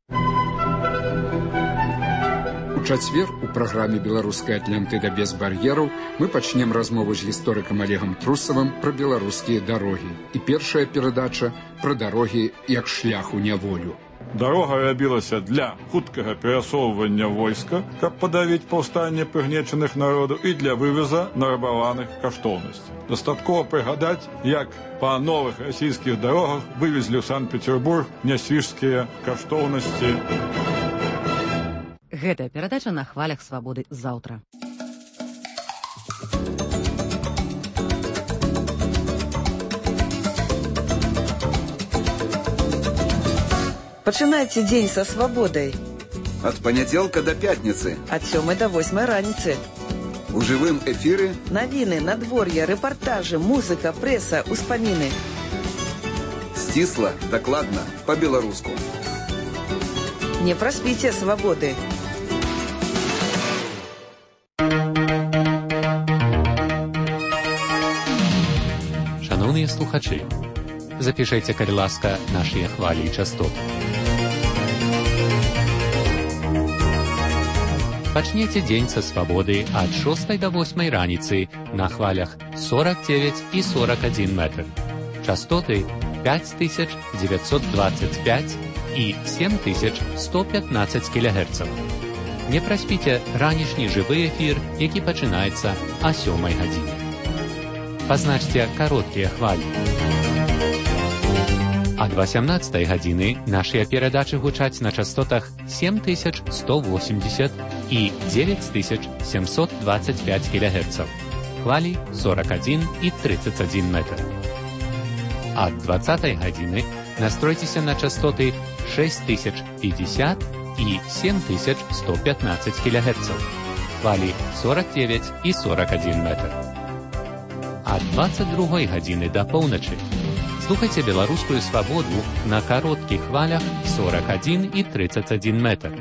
У чацвер у праграме «Беларуская Атлантыда без бар'ераў» мы пачнем размову з гісторыкам Олегам Трусавым пра беларускія дарогі. І першая перадача пра дарогі як шлях у няволю. Дарога рабілася для хуткага перасоўвання войска, каб падавіць паўстанне прыгнечаных народаў і для вывеза нарабаваных каштоўнасцей. Дастаткова прыгадаць, як па новых расійскіх дарогах вывезлі ў Санкт-Петербург нясвіжскія каштоўнасці. Гэтая перадача на хвалях свабоды заўтра. Пачынайце дзень са свабодай. Ад панядзелка да пятніцы. Ад сёмай да восьмай раніцы. У жывым эфіры навіны, надвор'е, рэпартажы, музыка, прэса, успаміны. Сцісла, дакладна, па-беларуску. Не праспіце свабоды. Шановныя слухачы, запішайце, калі ласка, нашыя хвалі і частоты. Пачніце дзень са свабоды ад шостай да восьмай раніцы на хвалях сорок девять і сорок один метр. Частоты пять тысяч девятьсот двадцать пять і семь тысяч сто пятнадцать кілогерцаў. Не праспіце ранішні жывы эфір, які пачынаецца а сёмай гадзіне. Пазначце кароткія хвалі. Ад восемнадцатай гадзіны нашыя перадачы гучаць на частотах семь тысяч сто восемьдесят і девять тысяч семьсот двадцать пять кілогерцаў. Хвалі сорок один і тридцать один метр. Ад двадцатай гадзіны настройцеся на частоты шесть тысяч пятьдесят і семь тысяч сто пятнадцать кілогерцаў. Хвалі сорок девять і сорок один метр. Ад двадцать другой гадзіны да поўначы слухайце беларускую свабоду на кароткіх хвалях сорок один і тридцать один метр.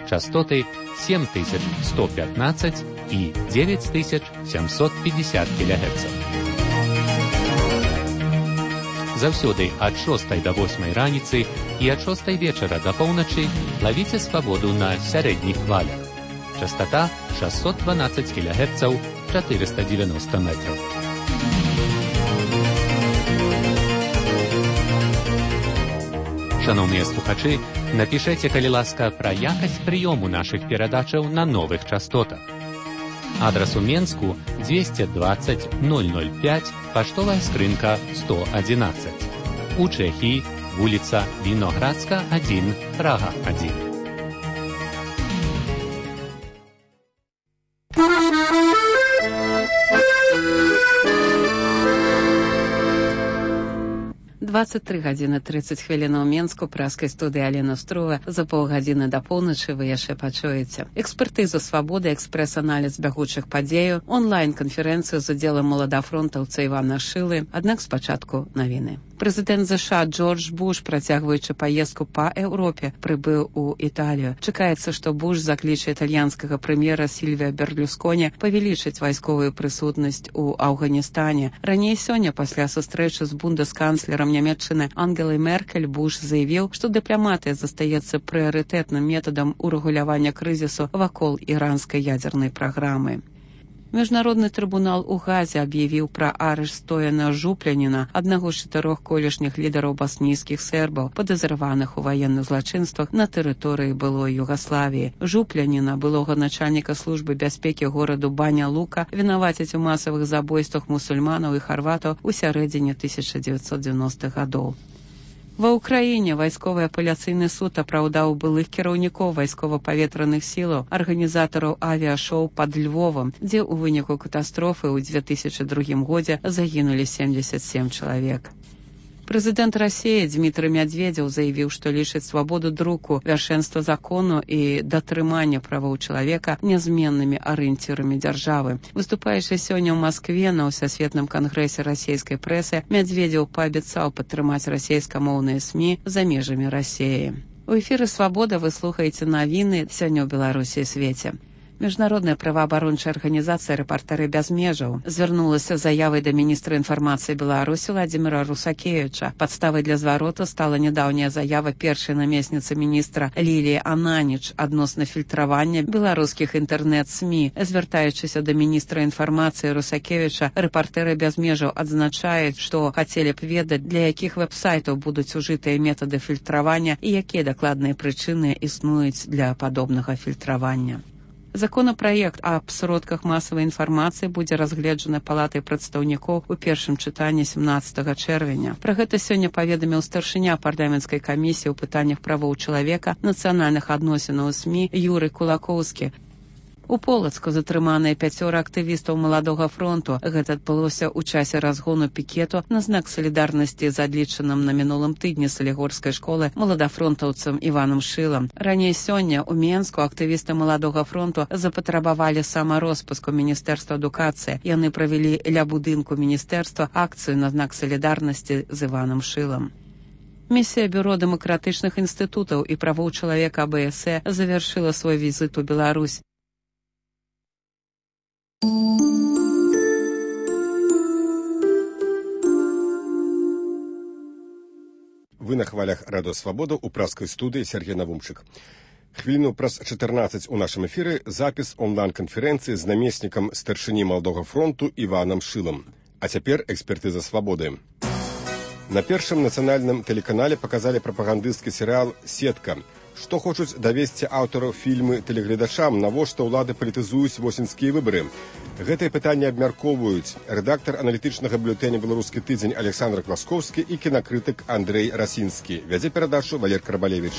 Частоты семь тысяч сто пятнадцать і девять тысяч семьсот пятьдесят кілогерцаў. Заўсёды ад шостай да восьмай раніцы і ад шостай вечара да поўначы лавіце свабоду на сярэдніх хвалях. Частота шестьсот двенадцать кілогерцаў, четыреста девяносто метров. Шановныя слухачы, напішайце, калі ласка, пра якасць прыёму нашых перадачаў на новых частотах. Адрас у Менску двести двадцать ноль ноль пять, паштовая скрынка сто одиннадцать. У Чэхіі вуліца Віноградска один, Прага один. двадцать три гадзіны тридцать хвілін у Менску, праскай студыі Алена Строва. За паўгадзіны да поўначы вы яшчэ пачуеце экспертызу свабоды, экспрэс-аналіз бягучых падзеяў, онлайн-канферэнцыю з удзелам маладафронтаўца Івана Шылы. Аднак спачатку навіны. Прэзідэнт ЗША Джордж Буш, працягваючы паездку па Еўропе, прыбыў у Італію. Чакаецца, што Буш закліча італьянскага прэм'ера Сільвія Берлюсконі павялічыць вайсковую прысутнасць у Афганістане. Раней сёння, пасля сустрэчы з бундесканцлерам Нямецчыны Ангелай Меркель, Буш заявіў, што дыпламатыя застаецца прыярытэтным метадам урэгулявання крызісу вакол іранскай ядзернай праграмы. Міжнародны трыбунал у Газе аб'явіў пра арышт Стояна Жупляніна, аднаго з чатырох колішніх лідараў баснійскіх сербаў, падазраваных у ваенных злачынствах на тэрыторыі былой Югаславіі. Жупляніна, былога начальніка службы бяспекі гораду Баня Лука, вінавацяць у масавых забойствах мусульманаў і харватаў у сярэдзіне тысяча дзевяцьсот дзевяностых гадоў. Ва ўкраіне вайсковы апеляцыйны суд апраўдаў былых кіраўнікоў вайскова-паветраных сілаў, арганізатараў авіашоу пад Львовам, дзе ў выніку катастрофы ў две тысячы другім годзе загінулі семьдесят семь чалавек. Прэзідэнт Расіі Дмітрый Мядзведзеў заявіў, што лічыць свабоду друку, вяршэнства закону і датрымання правоў чалавека нязменнымі арыенцірамі дзяржавы. Выступаючы сёння ў Маскве на ўсасветным кангрэсе расійскай прэсы, Мядзведзеў паабяцаў падтрымаць расійскамоўныя СМІ за межамі Расіі. У эфіры «Свабода» вы слухаеце навіны сёння ў Беларусі і свеце. Міжнародная праваабарончая арганізацыя «Рэпартэры без межаў» звярнулася з заявай да міністра інфармацыі Беларусі Владзіміра Русакевіча. Падставай для звароту стала нядаўняя заява першай намесніцы міністра Ліліі Ананіч адносна фільтравання беларускіх інтэрнэт-СМІ. Звяртаючыся да міністра інфармацыі Русакевіча, «Рэпартэры без межаў» адзначаюць, што хацелі б ведаць, для якіх вэб-сайтаў будуць ужытыя метады фільтравання і якія дакладныя прычыны існуюць для падобнага фільтравання. Законапраект аб сродках масавай інфармацыі будзе разгледжаны палатай прадстаўнікоў у першым чытанні семнаццатага чэрвеня. Пра гэта сёння паведаміў старшыня парламенцкай камісіі ў пытаннях правоў чалавека, нацыянальных адносінаў СМІ Юрый Кулакоўскі. У Полацку затрыманыя пяцёра актывістаў маладога фронту. Гэта адбылося ў часе разгону пікету на знак салідарнасці з адлічаным на мінулым тыдні салігорскай школы маладафронтаўцам Іванам Шылам. Раней сёння ў Менску актывісты маладога фронту запатрабавалі самароспуск у Міністэрства адукацыі. Яны правялі ля будынку міністэрства акцыю на знак салідарнасці з Іванам Шылам. Місія Бюро дэмакратычных інстытутаў і правоў чалавека АБС завяршыла свой візіт у Беларусь. Вы на хвалях Радио Свобода у праскай студыі Сергей Навумчык. Хвіліну праз чатырнаццаць у нашым эфіры запіс онлайн-канферэнцыі з намеснікам старшыні Маладога фронту Іванам Шылам. А цяпер экспертыза свабоды. На першым нацыянальным тэлеканале паказалі прапагандысцкі серыял «Сетка». Што хочуць давесці аўтараў фільмы тэлегледачам, навошта ўлады палітызуюць восеньскія выбары? Гэтае пытанне абмяркоўваюць рэдактар аналітычнага бюлетэня «Беларускі тыдзень» Александр Класкоўскі і кінакрытык Андрэй Расінскі. Вядзе перадачу Валер Карбалевіч.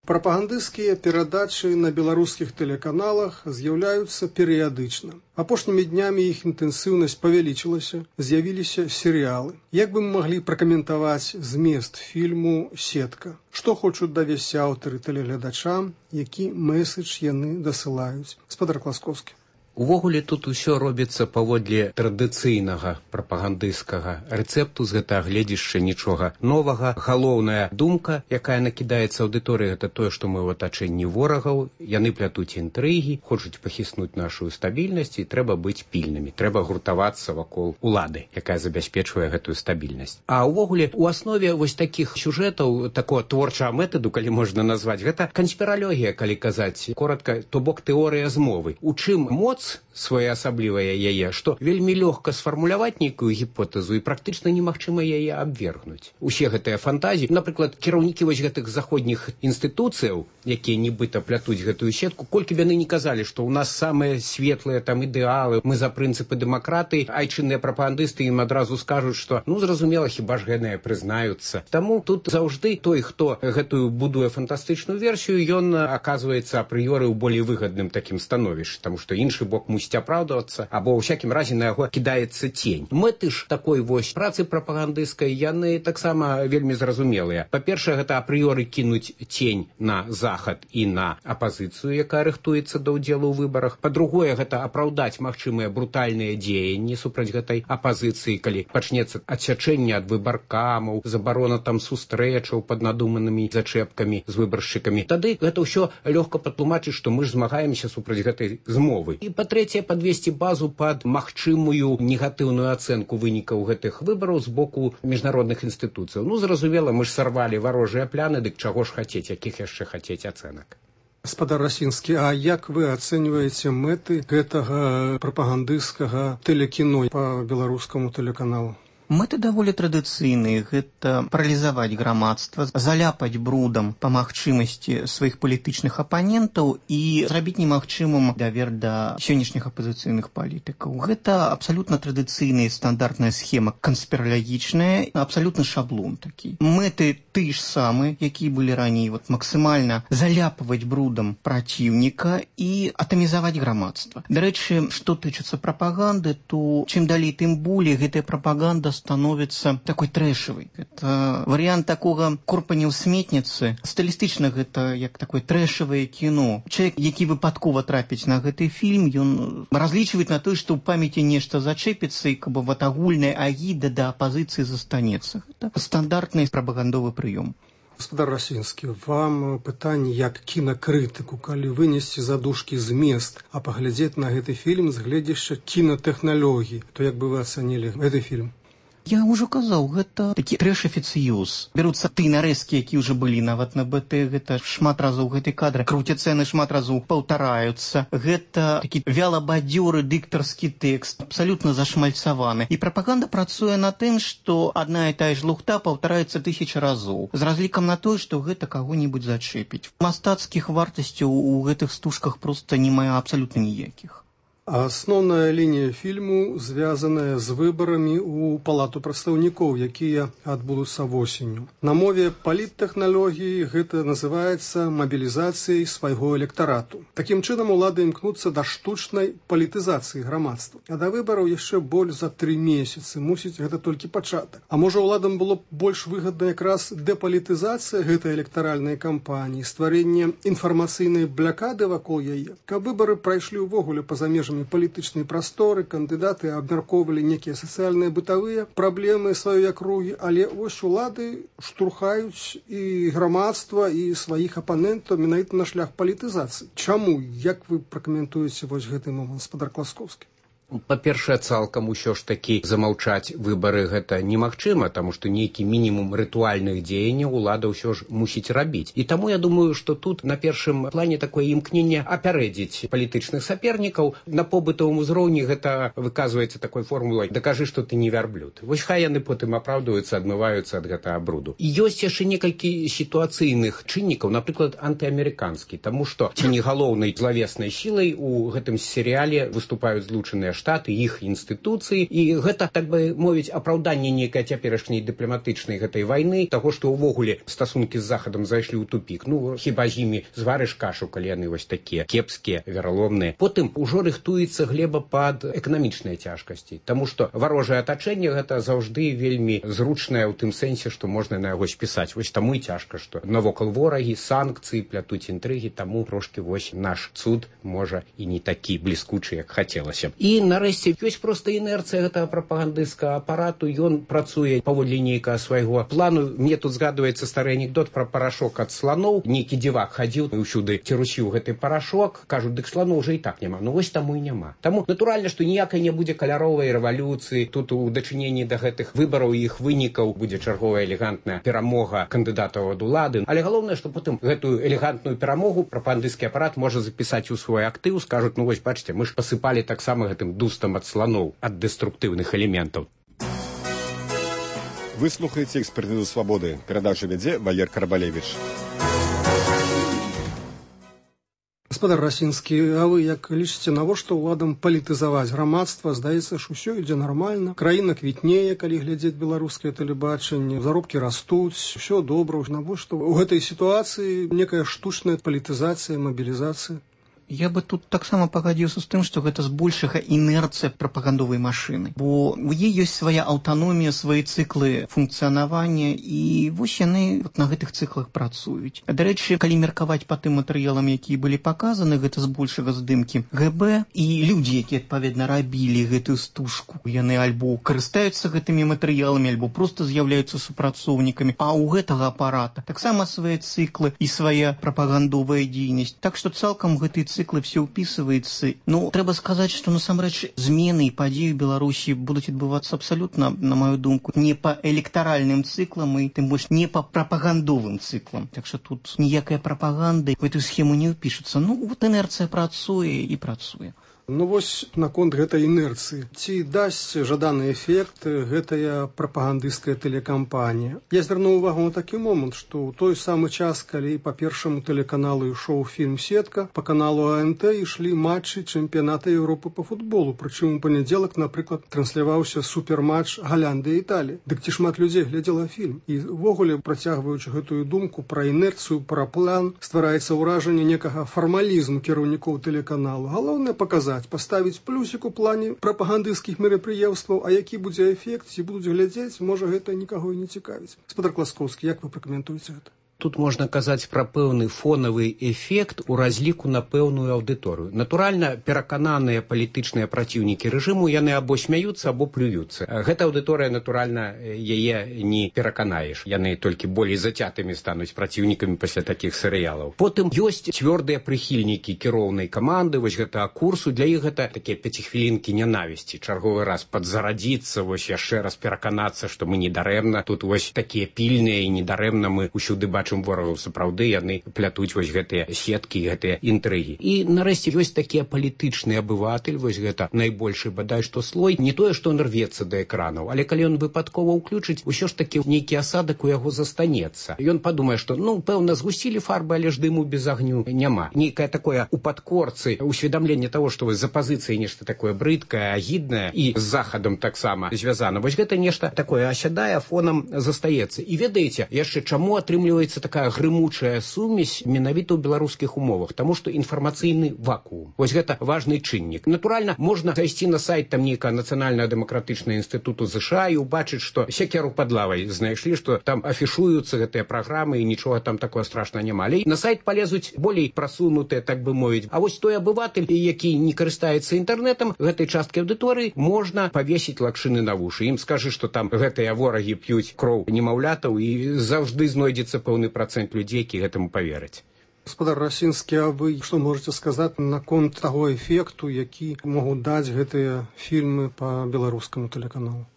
Прапагандысцкія перадачы на беларускіх тэлеканалах з'яўляюцца перыядычна. Апошнімі днямі іх інтэнсіўнасць павялічылася, з'явіліся серыялы. Як бы мы маглі пракаментаваць змест фільму «Сетка»? Што хочуць давесці аўтары тэлегледачам, які мэсэдж яны дасылаюць? Гаспадар Класкоўскі. Увогуле тут усё робіцца паводле традыцыйнага прапагандысцкага рэцэпту, з гэтага гледзішча нічога новага. Галоўная думка, якая накідаецца аўдыторыі, гэта тое, што мы ў атачэнні ворагаў, яны плятуць інтрыгі, хочуць пахіснуць нашу стабільнасць, і трэба быць пільнымі, трэба гуртавацца вакол улады, якая забяспечвае гэтую стабільнасць. А ўвогуле у аснове вось такіх сюжэтаў, такого творчага метаду, калі можна назваць, гэта канспіралогія, калі казаць коротка, то бок тэорыя змовы. У чым моц своеасаблівая яе, што вельмі лёгка сфармуляваць нейкую гіпотэзу і практычна немагчыма яе абвергнуць. Усе гэтыя фантазіі, напрыклад, кіраўнікі вось гэтых заходніх інстытуцыяў, якія нібыта плятуць гэтую сетку, колькі б яны не казалі, што ў нас самыя светлыя там ідэалы, мы за прынцыпы дэмакратыі, айчынныя прапагандысты ім адразу скажуць, што ну зразумела, хіба ж гэтыя прызнаюцца. Таму тут заўжды той, хто гэтую будуе фантастычную версію, ён аказваецца апрыёры ў болей выгадным такім становішчы, таму што іншы бок мусіць мусіць апраўдвацца, або ў всякім разе на яго кідаецца цень. Мэты ж такой вось працы прапагандысцкай яны таксама вельмі зразумелыя. Па-першае, гэта апрыёры кінуць цень на захад і на апазіцыю, якая рыхтуецца да ўдзелу ў выбарах. Па-другое, гэта апраўдаць магчымыя брутальныя дзеянні супраць гэтай апазіцыі, калі пачнецца адсячэнне ад выбаркамаў, забарона там сустрэчаў пад надуманымі зачэпкамі з выбаршчыкамі. Тады гэта ўсё лёгка патлумачыць, што мы ж змагаемся супраць гэтай змовы. І па-трэцяе, падвесці базу пад магчымую негатыўную ацэнку вынікаў гэтых выбараў з боку міжнародных інстытуцыяў. Ну, зразумела, мы ж сарвалі варожыя пляны, дык чаго ж хацець, якіх яшчэ хацець ацэнак. Гаспадар Расінскі, а як вы ацэньваеце мэты гэтага прапагандысцкага тэлекіно па беларускаму тэлеканалу? Мэты даволі традыцыйныя. Гэта паралізаваць грамадства, заляпаць брудам па магчымасці сваіх палітычных апанентаў і зрабіць немагчымым давер да сённяшніх апазіцыйных палітыкаў. Гэта абсалютна традыцыйная стандартная схема, канспіралагічная, абсалютна шаблон такі. Мэты ты ж самы, якія былі раней, вот, максімальна заляпваць брудам праціўніка і атамізаваць грамадства. Дарэчы, што тычыцца прапаганды, то чым далей, тым болей гэтая прапаганда становіцца такой трэшавай. Это варыянт такога курпання ў сметніцы. Стылістычна гэта як такое трэшавае кіно. Чалавек, які выпадкова трапіць на гэты фільм, ён разлічвае на тое, што ў памяці нешта зачэпіцца і каб вот агульная агіда да апазіцыі застанецца. Гэта стандартны прапагандовы прыём. Гаспадар Расінскі, вам пытанне як кінакрытыку, калі вынесці задушкі змест, а паглядзець на гэты фільм з гледзяшча кінатэхналогій, то як бы вы ацанілі гэты фільм? Я ўжо казаў, гэта такі трэш-афіцыёз. Бяруцца тыя нарэзкі, якія ўжо былі нават на бэ тэ, гэта шмат разоў гэты кадр, круцяцца яны шмат разоў паўтараюцца. Гэта такі вялабадзёры дыктарскі тэкст, абсалютна зашмальцаваны. І прапаганда працуе на тым, што адна і тая ж лухта паўтараецца тысячы разоў, з разлікам на тое, што гэта каго-небудзь зачэпіць. Мастацкіх вартасцяў у гэтых стужках проста не мае абсалютна ніякіх. А асноўная лінія фільму звязаная з выбарамі ў палату прадстаўнікоў, якія адбудуцца восенню. На мове паліттэхналогіі гэта называецца мабілізацыяй свайго электарату. Такім чынам улады імкнуцца да штучнай палітызацыі грамадства. А да выбараў яшчэ больш за тры месяцы. Мусіць, гэта толькі пачатак. А можа, уладам было б больш выгадна якраз дэпалітызацыя гэтай электаральнай кампаніі, стварэнне інфармацыйнай блякады вакол яе, каб выбары прайшлі ўвогуле па-за межамі палітычнай прасторы, кандыдаты абмяркоўвалі некія сацыяльныя бытавыя праблемы сваёй акругі, але вось улады штурхаюць і грамадства, і сваіх апанентаў менавіта на шлях палітызацыі. Чаму? Як вы пракаментуеце вось гэты момант, гаспадар Класкоўскі? Па-першае, цалкам усё ж такі замаўчаць выбары гэта немагчыма, таму што нейкі мінімум рытуальных дзеянняў улада ўсё ж мусіць рабіць. І таму я думаю, што тут на першым плане такое імкненне апярэдзіць палітычных сапернікаў. На побытавым узроўні гэта выказваецца такой формулай: дакажы, што ты не вярблюд. Вось хай яны потым апраўдваюцца, адмываюцца ад гэтага бруду. І ёсць яшчэ некалькі сітуацыйных чыннікаў, напрыклад, антыамерыканскі, таму што ценегалоўнай злавеснай сілай у гэтым серыяле выступаюць злучаныя штаты, іх інстытуцыі, і гэта, так бы мовіць, апраўданне нейкай цяперашняй дыпламатычнай гэтай вайны, таго, што ўвогуле стасункі з захадам зайшлі ў тупік. Ну, хіба з імі зварыш кашу, калі яны вось такія кепскія, вераломныя. Потым ужо рыхтуецца глеба пад эканамічныя цяжкасці, таму што варожае атачэнне гэта заўжды вельмі зручнае ў тым сэнсе, што можна на яго спісаць. Вось таму і цяжка, што навокал ворагі, санкцыі, плятуць інтрыгі, таму трошкі вось наш цуд можа і не такі бліскучы, як хацелася. І нарэшце ёсць проста інерцыя гэтага прапагандысцкага апарату, ён працуе паводле нейкага свайго плану. Мне тут згадваецца стары анекдот пра парашок ад сланоў. Нейкі дзівак хадзіў і ўсюды цірусіў гэты парашок, кажуць, дык сланоў уже і так няма. Ну вось таму і няма. Таму натуральна, што ніякай не будзе каляровай рэвалюцыі. Тут у дачыненні да гэтых выбараў і іх вынікаў будзе чарговая элегантная перамога кандыдатаў ад улады. Але галоўнае, што потым гэтую элегантную перамогу прапагандысцкі апарат можа запісаць у свой актыў, скажуць: ну вось бачыце, мы ж пасыпалі таксама гэтым дустам ад слоноў, ад дэструктыўных элементаў. Вы слухаеце «Экспертызу свабоды». Перадачу вядзе Валер Карабалевіч. Гаспадар Расінскі, а вы як лічыце, навошта ўладам палітызаваць грамадства? Здаецца ж, усё ідзе нармальна. Краіна квітнее, калі глядзець беларускае тэлебачанне, заробкі растуць, усё добра. Навошта ў гэтай сітуацыі некая штучная палітызацыя, мабілізацыя? Я бы тут таксама пагадзіўся з тым, што гэта збольшага інерцыя прапагандовай машыны. Бо у яе ёсць свая аўтаномія, свае цыклы функцыянавання, і вось яны вот на гэтых цыклах працуюць. Дарэчы, калі меркаваць па тым матэрыялам, якія былі паказаны, гэта збольшага здымкі гэ бэ, і людзі, якія адпаведна рабілі гэтую стужку, яны альбо карыстаюцца гэтымі матэрыяламі, альбо проста з'яўляюцца супрацоўнікамі, а ў гэтага апарата таксама свае цыклы і свая прапагандовая дзейнасць. Так што цалкам гэты цыклы все ўпісваецца. Ну, трэба сказаць, што насамрэч змены і падзеі ў Беларусі будуць адбывацца абсалютна, на маю думку, не па электаральным цыклам і тым больш не па прапагандовым цыклам. Так што тут ніякая прапаганды в эту схему не ўпішацца. Ну, вот інерцыя працуе і працуе. Ну вось наконт гэтай інерцыі. Ці дасць жаданы эфект гэтая прапагандысцкая тэлекампанія? Я звярнуў увагу на такі момант, што ў той самы час, калі па першаму тэлеканалу ішоў фільм «Сетка», па каналу а эн тэ ішлі матчы чэмпіяната Еўропы па футболу. Прычым у панядзелак, напрыклад, трансляваўся суперматч Галландыя і Італія. Дык ці шмат людзей глядзела фільм? І ўвогуле, працягваючы гэтую думку пра інерцыю, пра план, ствараецца ўражанне некага фармалізму кіраўнікоў тэлеканалу. Галоўнае паказаць, паставіць плюсік у плане прапагандысцкіх мерапрыемстваў, а які будзе эфект, ці будуць глядзець, можа гэта нікаго і не цікавіць. Гаспадар Класкоўскі, як вы пракаментуеце гэта? Тут можна казаць пра пэўны фонавы эфект у разліку на пэўную аўдыторыю. Натуральна, перакананыя палітычныя праціўнікі рэжыму, яны або смяюцца, або плююцца. Гэта аўдыторыя, натуральна, яе не пераканаеш. Яны толькі болей зацятымі стануць праціўнікамі пасля такіх серыялаў. Потым ёсць цвёрдыя прыхільнікі кіроўнай каманды, вось гэта курсу, для іх гэта такія пяцігвілінкі нянавісці. Чарговы раз падзарадзіцца, вось яшчэ раз пераканацца, што мы не дарэмна. Тут вось такія пільныя і недарэмна мы ўсюды бачым чым ворагаў, сапраўды яны плятуць вось гэтыя сеткі, гэтыя інтрыгі. І нарэшце ёсць такія палітычны абыватель, вось гэта найбольшы бадай што слой, не тое, што он рвецца да экранаў, але калі ён выпадкова ўключыць, усё ж такі нейкі асадак у яго застанецца. Ён падумае, што ну, пэўна, згусілі фарбы, але ж дыму без агню няма. Нейкае такое у падкорцы усведамленне таго, што вось за пазіцыяй нешта такое брыдкае, агіднае і з захадам таксама звязана. Вось гэта нешта такое асядае, фонам застаецца. І ведаеце, яшчэ чаму атрымліваецца такая грымучая сумесь менавіта ў беларускіх умовах, таму што інфармацыйны вакуум. Вось гэта важны чыннік. Натуральна, можна зайсці на сайт там нейкага нацыянальнага дэмакратычнага інстытуту ЗША і ўбачыць, што секеру пад лавай знайшлі, што там афішуюцца гэтыя праграмы і нічога там такое страшна няма. Але на сайт палезуць болей прасунутыя, так бы мовіць. А вось той абыватель, які не карыстаецца інтэрнэтам, гэтай часткі аўдыторыі можна павесіць лакшыны на вушы. Ім скажы, што там гэтыя ворагі п'юць кроў немаўлятаў і заўжды знойдзецца пэўны процент людзей, які гэтаму павераць. Гаспадар Расінскі, а вы што можаце сказаць наконт таго эфекту, які могуць даць гэтыя фільмы па беларускаму тэлеканалу?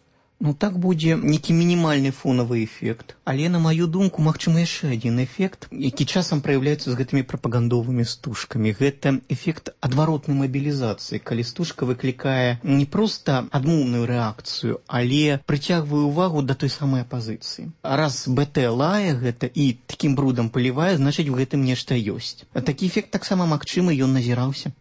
Ну, так будзе нейкі мінімальны фонавы эфект. Але, на маю думку, магчыма яшчэ адзін эфект, які часам праяўляецца з гэтымі прапагандовымі стужкамі. Гэта эфект адваротнай мабілізацыі, калі стужка выклікае не проста адмоўную рэакцыю, але прыцягвае ўвагу да той самай апазіцыі. Раз БТ лае гэта і такім брудам палівае, значыць, у гэтым нешта ёсць. А такі эфект таксама магчымы, ён назіраўся.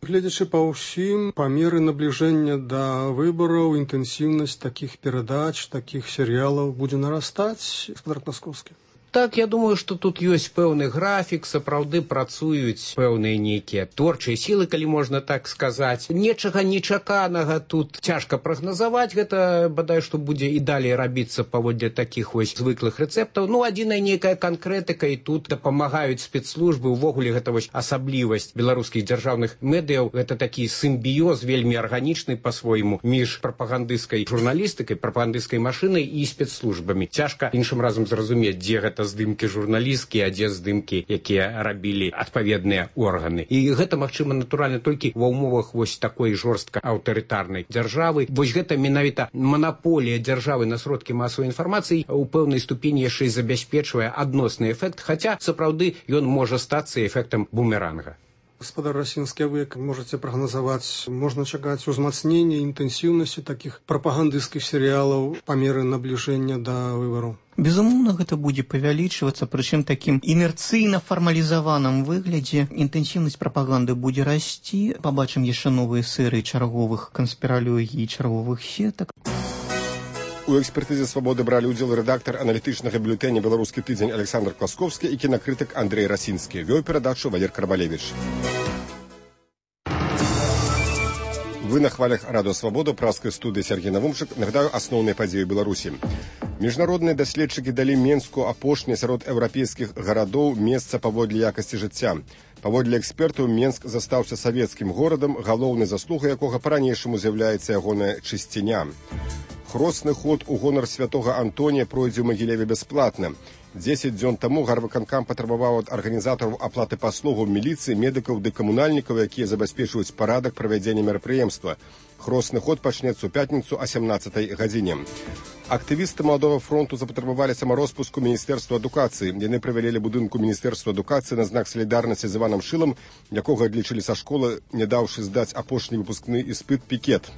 Гледзячы па ўсім, па меры набліжэння да выбараў, інтэнсіўнасць такіх перадач, такіх серыялаў будзе нарастаць, гаспадар Класкоўскі? Так, я думаю, што тут ёсць пэўны графік, сапраўды працуюць пэўныя нейкія творчыя сілы, калі можна так сказаць. Нечага нечаканага тут цяжка прагназаваць, гэта бадай што будзе і далей рабіцца паводле такіх вось звыклых рэцэптаў. Ну, адзіная нейкая канкрэтыка, і тут дапамагаюць спецслужбы, увогуле гэта вось асаблівасць беларускіх дзяржаўных медыяў, гэта такі сімбіёз вельмі арганічны па-свойму між прапагандысцкай журналістыкай, прапагандысцкай машынай і спецслужбамі. Цяжка іншым разам зразумець, дзе гэта здымкі журналісцкія, а дзе здымкі, якія рабілі адпаведныя органы. І гэта магчыма натуральна толькі ва ўмовах вось такой жорстка аўтарытарнай дзяржавы. Вось гэта менавіта манаполія дзяржавы на сродкі масавай інфармацыі у пэўнай ступені яшчэ і забяспечвае адносны эфект, хаця сапраўды ён можа стацца эфектам бумеранга. Гаспадар Расінскі, вы як можаце прагназаваць, можна чакаць узмацнення інтэнсіўнасці такіх прапагандысцкіх серыялаў па меры набліжэння да выбараў? Безумоўна, гэта будзе павялічвацца, прычым такім інерцыйна фармалізаваным выглядзе. Інтэнсіўнасць прапаганды будзе расці, пабачым яшчэ новыя серыі чарговых канспіралогій і чарговых сетак. У экспертызе «Свабоды» бралі ўдзел рэдактар аналітычнага бюлетэня «Беларускі тыдзень» Александр Класкоўскі і кінакрытык Андрэй Расінскі. Вёў перадачу Валер Карбалевіч. Вы на хвалях Радио Свобода, праскай студыі Сергей Навумчык. Нагадаю асноўныя падзеі Беларусі. Міжнародныя даследчыкі далі Менску апошні сярод еўрапейскіх гарадоў месца паводле якасці жыцця. Паводле экспертаў, Менск застаўся савецкім горадам, галоўнай заслугай якога па-ранейшаму з'яўляецца ягоная чысціня. Хросны ход у гонар святога Антонія пройдзе ў Магілеве бясплатна. Дзесяць дзён таму гарвыканкам патрабаваў ад арганізатараў аплаты паслугаў міліцыі, медыкаў ды камунальнікаў, якія забяспечваюць парадак правядзення мерапрыемства. Хросны ход пачнецца ў пятніцу о сямнаццатай гадзіне. Актывісты Маладога фронту запатрабавалі самароспуску Міністэрства адукацыі. Яны правялі будынку Міністэрства адукацыі на знак салідарнасці з Іванам Шылам, якога адлічылі са школы, не даўшы здаць апошні выпускны іспыт пікет.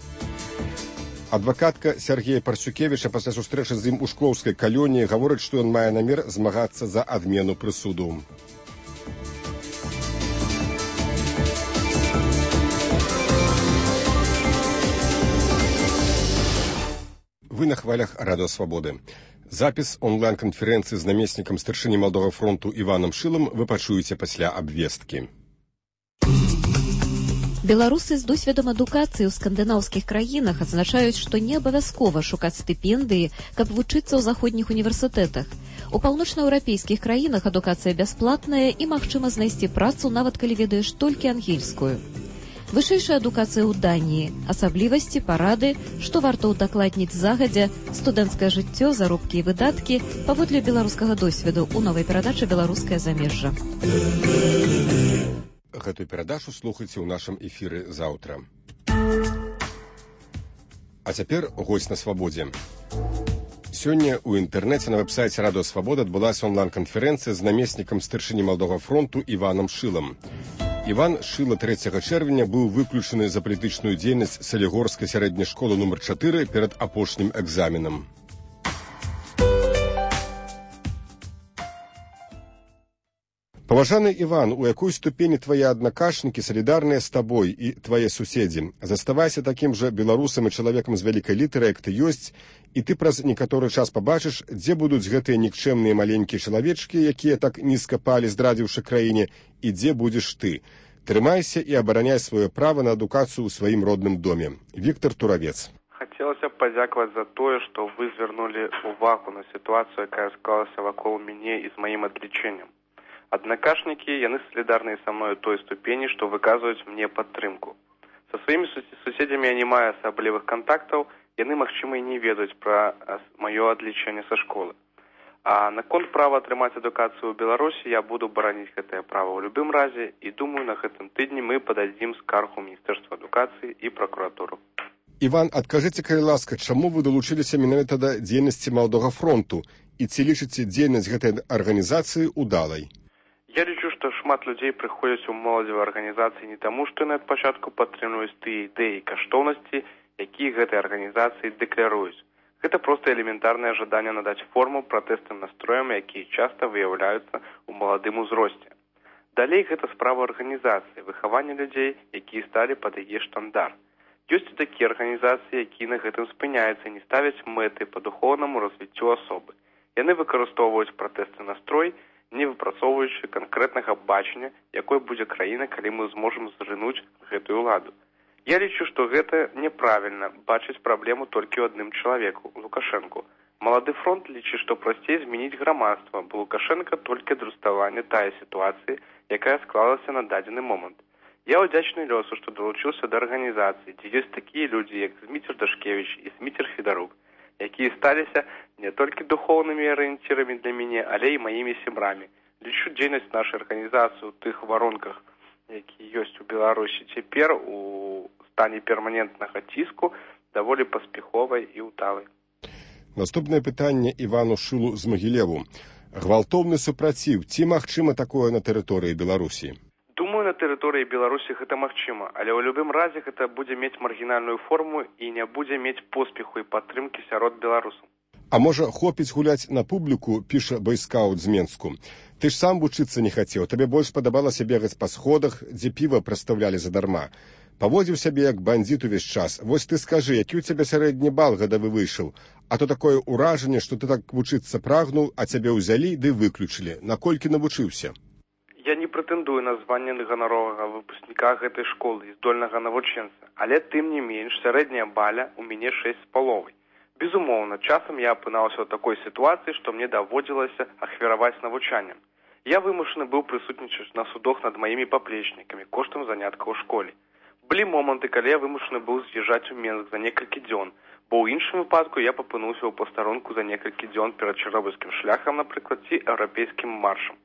Адвакатка Сергея Парсюкевіча пасля сустрэчы з ім у шклоўскай калоніі гаворыць, што ён мае намер змагацца за адмену прысуду. Вы на хвалях Радио Свободы. Запіс онлайн-канферэнцыі з намеснікам старшыні Маладога фронту Іванам Шылам вы пачуеце пасля абвесткі. Беларусы з досведам адукацыі ў скандынаўскіх краінах адзначаюць, што не абавязкова шукаць стыпендыі, каб вучыцца ў заходніх універсітэтах. У паўночнаеўрапейскіх краінах адукацыя бясплатная і магчыма знайсці працу, нават калі ведаеш толькі ангельскую. Вышэйшая адукацыя ў Даніі, асаблівасці, парады, што варта ўдакладніць загадзя, студэнцкае жыццё, заробкі і выдаткі паводле беларускага досведу ў новай перадачы «Беларускае замежжа». Гэтую перадачу слухайце ў нашым эфіры заўтра. А цяпер госць на свабодзе. Сёння ў інтэрнэце на вэб-сайце Радио Свобода адбылася онлайн-канферэнцыя з намеснікам старшыні Маладога фронту Іванам Шылам. Іван Шыла трэцяга чэрвеня быў выключаны за палітычную дзейнасць Салігорскай сярэдняй школы нумар чатыры перад апошнім экзаменам. Паважаны Іван, у якой ступені твае аднакашнікі салідарныя з табой і твае суседзі? Заставайся такім жа беларусам і чалавекам з вялікай літары, як ты ёсць, і ты праз некаторы час пабачыш, дзе будуць гэтыя нікчэмныя маленькія чалавечкі, якія так нізка палі, здрадзіўшы краіне, і дзе будзеш ты. Трымайся і абараняй сваё права на адукацыю ў сваім родным доме. Віктор Туравец. Хацелася б падзякаваць за тое, што вы звярнулі увагу на сітуацыю, якая склалася вакол мяне і з маім адлічэннем. Аднакашнікі, яны салідарныя са мною той ступені, што выказваюць мне падтрымку. Са сваімі суседзямі я не маю асаблівых кантактаў, яны, магчыма, і не ведаюць пра маё адлічэнне са школы. А наконт права атрымаць адукацыю ў Беларусі я буду бараніць гэтае права ў любым разе і думаю, на гэтым тыдні мы пададзім скаргу Міністэрства адукацыі і пракуратуру. Іван, адкажыце, калі ласка, чаму вы далучыліся менавіта да дзейнасці Маладога фронту і ці лічыце дзейнасць гэтай арганізацыі удалай? Я лічу, што шмат людзей прыходзяць у моладзевыя арганізацыі не таму, што яны ад пачатку падтрымліваюць тыя ідэі і каштоўнасці, якія гэтай арганізацыі дэкляруюць. Гэта проста элементарнае жаданне надаць форму пратэсным настроям, якія часта выяўляюцца ў маладым узросце. Далей гэта справа арганізацыі, выхавання людзей, якія сталі пад яе штандар. Ёсць і такія арганізацыі, якія на гэтым спыняюцца і не ставяць мэты па духоўнаму развіццю асобы. Яны выкарыстоўваюць пратэсны настрой, не выпрацоўваючы канкрэтнага бачання, якой будзе краіна, калі мы зможам зжынуць гэтую ўладу. Я лічу, што гэта няправільна бачыць праблему толькі ў адным чалавеку, Лукашэнку. Малады фронт лічыць, што прасцей змяніць грамадства, бо Лукашэнка толькі адлюстраванне тая сітуацыі, якая склалася на дадзены момант. Я ўдзячны лёсу, што далучыўся да арганізацыі, дзе ёсць такія людзі, як Зміцер Дашкевіч і Зміцер Федарук, якія сталіся не толькі духоўнымі арыенцірамі для мяне, але і маімі сябрамі. Лічу дзейнасць нашай арганізацыі ў тых варонках, якія ёсць у Беларусі цяпер у стане перманентнага ціску, даволі паспяховай і ўдалай. Наступнае пытанне Івану Шылу з Магілеву. Гвалтоўны супраціў, ці магчыма такое на тэрыторыі Беларусі? Думаю, на тэрыторыі Беларусі гэта магчыма, але ў любым разе гэта будзе мець маргінальную форму і не будзе мець поспеху і падтрымкі сярод беларусаў. А можа, хопіць гуляць на публіку, піша байскаут з Менску. Ты ж сам вучыцца не хацеў, табе больш падабалася бегаць па сходах, дзе піва прадстаўлялі задарма. Паводзіў сябе як бандзіт увесь час. Вось ты скажы, які ў цябе сярэдні бал гадавы выйшаў, а то такое ўражанне, што ты так вучыцца прагнуў, а цябе ўзялі ды выключылі. Наколькі навучыўся? Я не прэтэндую на званне ганаровага выпускніка гэтай школы і здольнага навучэнца, Але тым не менш, сярэдняя баля у мяне шэсць з паловай. Безумоўна, часам я апынаўся ў такой сітуацыі, што мне даводзілася ахвяраваць навучаннем. Я вымушаны быў прысутнічаць на судах над маімі паплечнікамі коштам заняткаў у школе. Былі моманты, калі я вымушаны быў з'язджаць у Менск за некалькі дзён, бо ў іншым выпадку я папынуўся ў пастарунку за некалькі дзён перад чарнобыльскім шляхам, напрыклад, ці еўрапейскім маршам.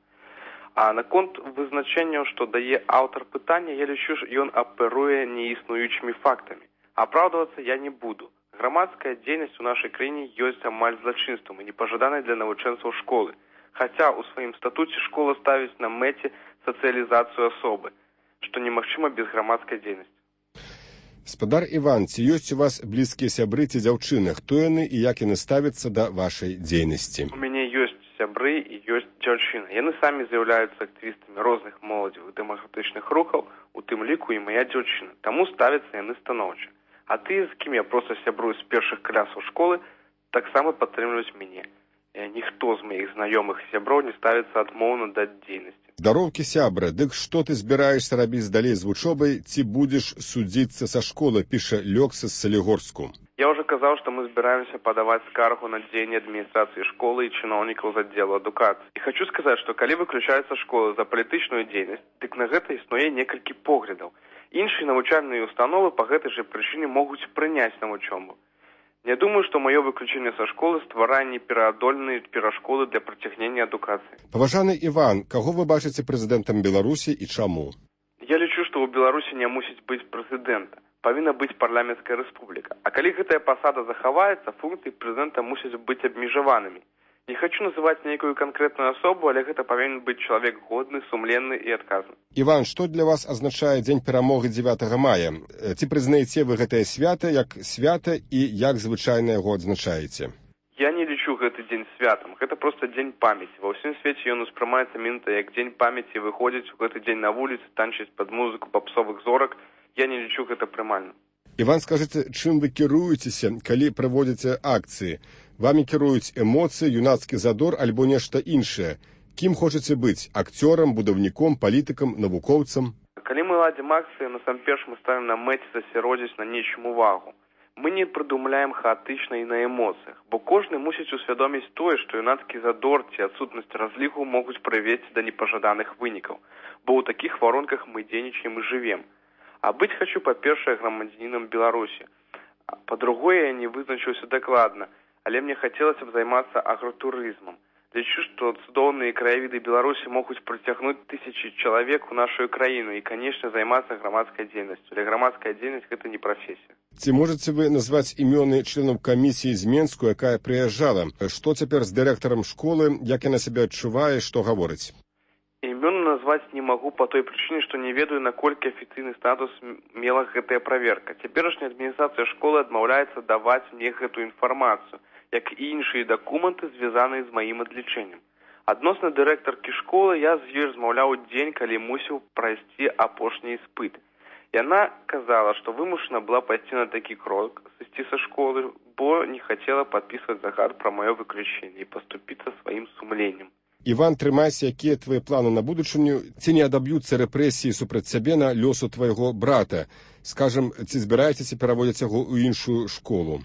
А наконт вызначэнняў, што дае аўтар пытання, я лічу, што ён аперуе неіснуючымі фактамі. Апраўдвацца я не буду. Грамадская дзейнасць у нашай краіне ёсць амаль злачынствам і непажаданай для навучэнцаў школы. Хаця ў сваім статуце школа ставіць на мэце сацыялізацыю асобы, што немагчыма без грамадскай дзейнасці. Спадар Іван, ці ёсць у вас блізкія сябры ці дзяўчыны? Хто яны і як яны ставяцца да вашай дзейнасці? У мяне ёсць сябры і ёсць дзяўчыны. Яны самі з'яўляюцца актывістамі розных моладзевых дэмакратычных рухаў, у тым ліку і мая дзяўчына. Таму ставяцца яны станоўча. А ты, з кім я проста сябрую з першых класаў школы, таксама падтрымліваюць мяне. Ніхто з маіх знаёмых сяброў не ставіцца адмоўна да дзейнасці. Здароўкі, сябра, дык што ты збіраешся рабіць далей з вучобай, ці будзеш судзіцца са школы, піша Лёкса з Салігорску. Я ўжо казаў, што мы збіраемся падаваць скаргу на дзеянне адміністрацыі школы і чыноўнікаў з аддзелу адукацыі. І хочу сказаць, што калі выключаецца школа за палітычную дзейнасць, дык на гэта існуе некалькі поглядаў. Іншыя навучальныя установы па гэтай жа прычыне могуць прыняць на вучобу. Не думаю, што маё выключэнне са школы стварае непераадольныя перашкоды для працягнення адукацыі. Паважаны Іван, каго вы бачыце прэзідэнтам Беларусі і чаму? Я лічу, што ў Беларусі не мусіць быць прэзідэнта. Павінна быць парламенцкая рэспубліка. А калі гэтая пасада захаваецца, функцыі прэзідэнта мусяць быць абмежаванымі. Не хочу называць нейкую канкрэтную асобу, але гэта павінен быць чалавек годны, сумленны і адказны. Іван, што для вас азначае дзень перамогі дзевятага мая? Ці прызнаеце вы гэтае свята як свята і як звычайна яго адзначаеце? Я не лічу гэты дзень святам. Гэта проста дзень памяці. Ва ўсім свеце ён успрымаецца мінта як дзень памяці, выходзіць у гэты дзень на вуліцы, танчыць пад музыку папсовых зорак. Я не лічу гэта прымальным. Іван, скажыце, чым вы кіруецеся, калі праводзіце акцыі? Вамі кіруюць эмоцыі, юнацкі задор альбо нешта іншае. Кім хочаце быць? Акцёрам, будаўніком, палітыкам, навукоўцам? Калі мы ладзім акцыі, насамперш мы ставім на мэце засяродзіць на нечым увагу. Мы не прыдумляем хаатычна і на эмоцыях, бо кожны мусіць усвядоміць тое, што юнацкі задор ці адсутнасць разліку могуць прывесці да непажаданых вынікаў, бо ў такіх варонках мы дзейнічаем і жывем. А быць хочу, па-першае, грамадзянінам Беларусі. Па-другое, я не вызначыўся дакладна, але мне хацелася б займацца агратурызмам. Лічу, што цудоўныя краявіды Беларусі могуць прыцягнуць тысячы чалавек у нашу краіну і, канешне, займацца грамадскай дзейнасцю. Але грамадская дзейнасць – гэта не прафесія. Ці можаце вы назваць імёны членаў камісіі з Менску, якая прыязджала? Што цяпер з дырэктарам школы, як яна сябе адчувае, што гаворыць? Імёны назваць не магу па той прычыне, што не ведаю, наколькі афіцыйны статус мела гэтая праверка. Цяперашняя адміністрацыя школы адмаўляецца даваць мне гэтую інфармацыю, як і іншыя дакументы, звязаныя з маім адлічэннем. Адносна дырэктаркі школы я з ёй размаўляў дзень, калі мусіў прайсці апошні іспыт. Яна казала, што вымушана была пайсці на такі крок, сысці са школы, бо не хацела падпісваць загад пра маё выключэнне і паступіцца сваім сумленнем. Іван, трымайся, якія твае планы на будучыню? Ці не адаб'юцца рэпрэсіі супраць цябе на лёсу твайго брата? Скажам, ці збіраецеся пераводзіць яго ў іншую школу?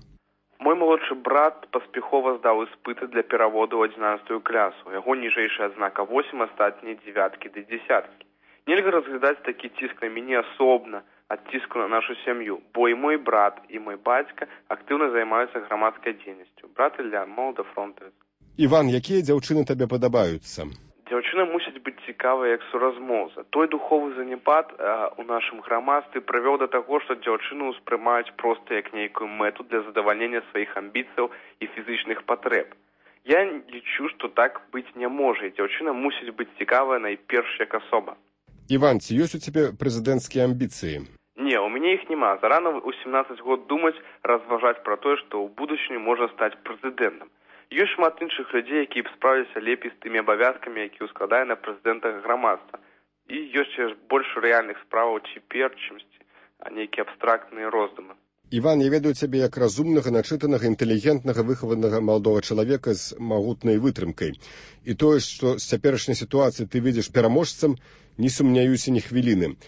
Мой малодшы брат паспяхова здаў іспыты для пераводу ў адзінаццатую класу. Яго ніжэйшая адзнака восем, астатнія дзевяткі ды дзесяткі. Нельга разглядаць такі ціск на мяне асобна ад ціску на нашу сям'ю, бо і мой брат, і мой бацька актыўна займаюцца грамадскай дзейнасцю. Брат Ілля, молодофронтавец. Іван, якія дзяўчыны табе падабаюцца? Дзяўчына мусіць быць цікавая як суразмоўца. Той духовы заняпад а, у нашым грамадстве прывёў да таго, што дзяўчыну ўспрымаюць проста як нейкую мэту для задавальнення сваіх амбіцыяў і фізычных патрэб. Я лічу, што так быць не можа, і дзяўчына мусіць быць цікавая найперш як асоба. Іван, ці ёсць у цябе прэзідэнцкія амбіцыі? Не, у мяне іх няма. Зарана ў сямнаццаць год думаць, разважаць пра тое, што ў будучыні можна стаць прэзідэнтам. Ёсць шмат іншых людзей, якія б справіліся лепей з тымі абавязкамі, які ўскладае на прэзідэнта грамадства. І ёсць больш рэальных справаў цяпер, чымсьці, а нейкія абстрактныя роздумы. Іван, я ведаю цябе як разумнага, начытанага, інтэлігентнага, выхаванага маладога чалавека з магутнай вытрымкай. І тое, што з цяперашняй сітуацыі ты видзіш пераможцам, не сумняюся ні хвіліны.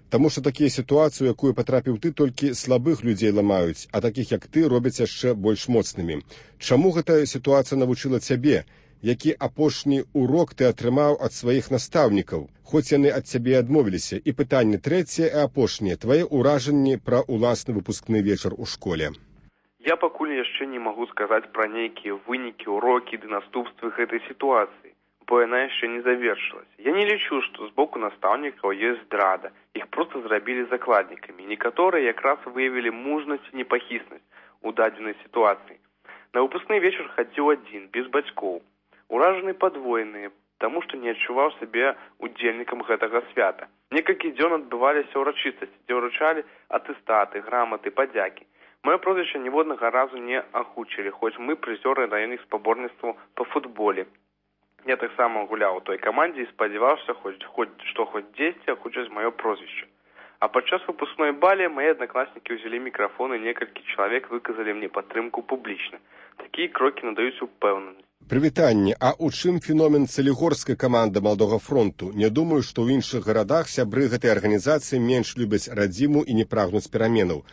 Таму што такія сітуацыі, у якую патрапіў ты, толькі слабых людзей ламаюць, а такіх, як ты, робяць яшчэ больш моцнымі. Чаму гэтая сітуацыя навучыла цябе? Які апошні урок ты атрымаў ад сваіх настаўнікаў, хоць яны ад цябе адмовіліся? І пытанне трэцяе і апошняе. Твае ўражанні пра ўласны выпускны вечар у школе. Я пакуль яшчэ не магу сказаць пра нейкія вынікі, урокі ды наступствы гэтай сітуацыі, бо яна яшчэ не завершылась. Я не лічу, што з боку настаўнікаў ёсць здрада. Іх проста зрабілі закладнікамі. Некаторыя якраз выявілі мужнасць і непахіснасць у дадзенай сітуацыі. На выпускны вечар хадзіў адзін, без бацькоў. Уражаны падвоеныя, таму што не адчуваў сябе удзельнікам гэтага свята. Некалькі дзён адбываліся ўрачыстасці, дзе ўручалі атэстаты, граматы, падзякі. Маё прозвішча ніводнага разу не агучылі, хоць мы прызёры раённых спаборніцтваў па футболе. Я таксама гуляў у той камандзе і спадзяваўся, хоць, хоць, што хоць дзесьці агучаць маё прозвішча. А падчас выпускной балі мае аднакласнікі ўзялі мікрафон і некалькі чалавек выказалі мне падтрымку публічна. Такія крокі надаюць упэўненасць. Прывітанне, а ў чым феномен цалігорскай каманды Малдога фронту? Не думаю, што ў іншых гарадах сябры гэтай арганізацыі менш любяць радзіму і не прагнуць пераменаў.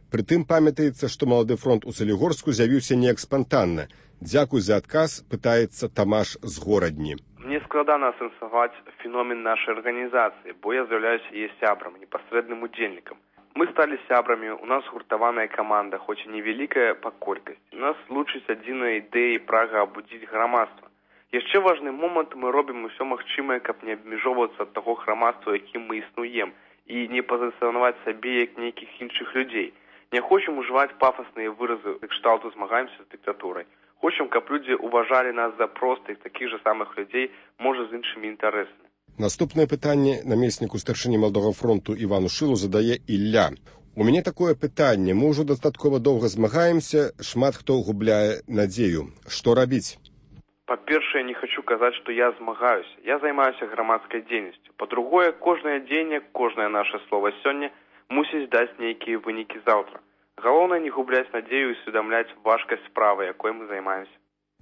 Прытым памятаецца, што Малады фронт у Цалігорску з'явіўся неяк спантанна. Дзякуй за адказ, пытаецца Тамаш з Горадні. Мне складана асэнсаваць феномен нашай арганізацыі, бо я з'яўляюся яе сябрам, непасрэдным удзельнікам. Мы сталі сябрамі, у нас гуртаваная каманда, хоць і невялікая па колькасці. Нас лучыць адзіная ідэя і прага абудзіць грамадства. Яшчэ важны момант, мы робім усё магчымае, каб не абмежоўвацца ад таго грамадства, якім мы існуем, і не пазіцыянаваць сабе як нейкіх іншых людзей. Не хочам ужываць пафасныя выразы кшталту змагаемся з дыктатурай. Хочам, каб людзі уважалі нас за простых, такіх жа самых людзей, можа, з іншымі інтарэсамі. Наступнае пытанне намесніку старшыні Малдога фронту Івану Шылу задае Ілля. У мяне такое пытанне. Мы ўжо дастаткова доўга змагаемся, шмат хто губляе надзею. Што рабіць? Па-першае, не хочу казаць, што я змагаюся. Я займаюся грамадскай дзейнасцю. Па-другое, кожнае дзеянне, кожнае наше слова сёння мусіць даць нейкія вынікі заўтра. Галоўнае не губляць надзею і усведамляць важкасць справы, якой мы займаемся.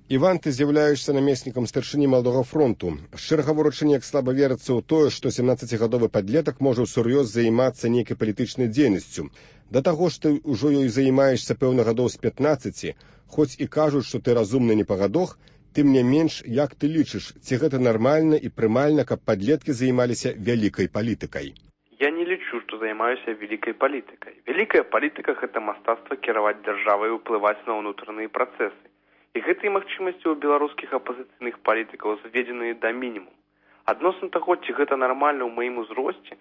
Іван, ты з'яўляешся намеснікам старшыні Малдога фронту. Шчыра гаворачы, неяк слаба верыцца ў тое, што семнаццацігадовы падлетак можа ўсур'ёз займацца нейкай палітычнай дзейнасцю. Да таго ж ты ўжо ёй займаешся пэўна гадоў з пятнаццаці, хоць і кажуць, што ты разумны не па гадох, тым не менш, як ты лічыш, ці гэта нармальна і прымальна, каб падлеткі займаліся вялікай палітыкай? Я не лічу, што займаюся вялікай палітыкай. Вялікая палітыка – гэта мастацтва кіраваць дзяржавай і ўплываць на ўнутраныя працэсы. І гэтыя магчымасці ў беларускіх апазіцыйных палітыкаў зведзеныя да мінімум. Адносна таго, ці гэта нармальна ў маім узросце,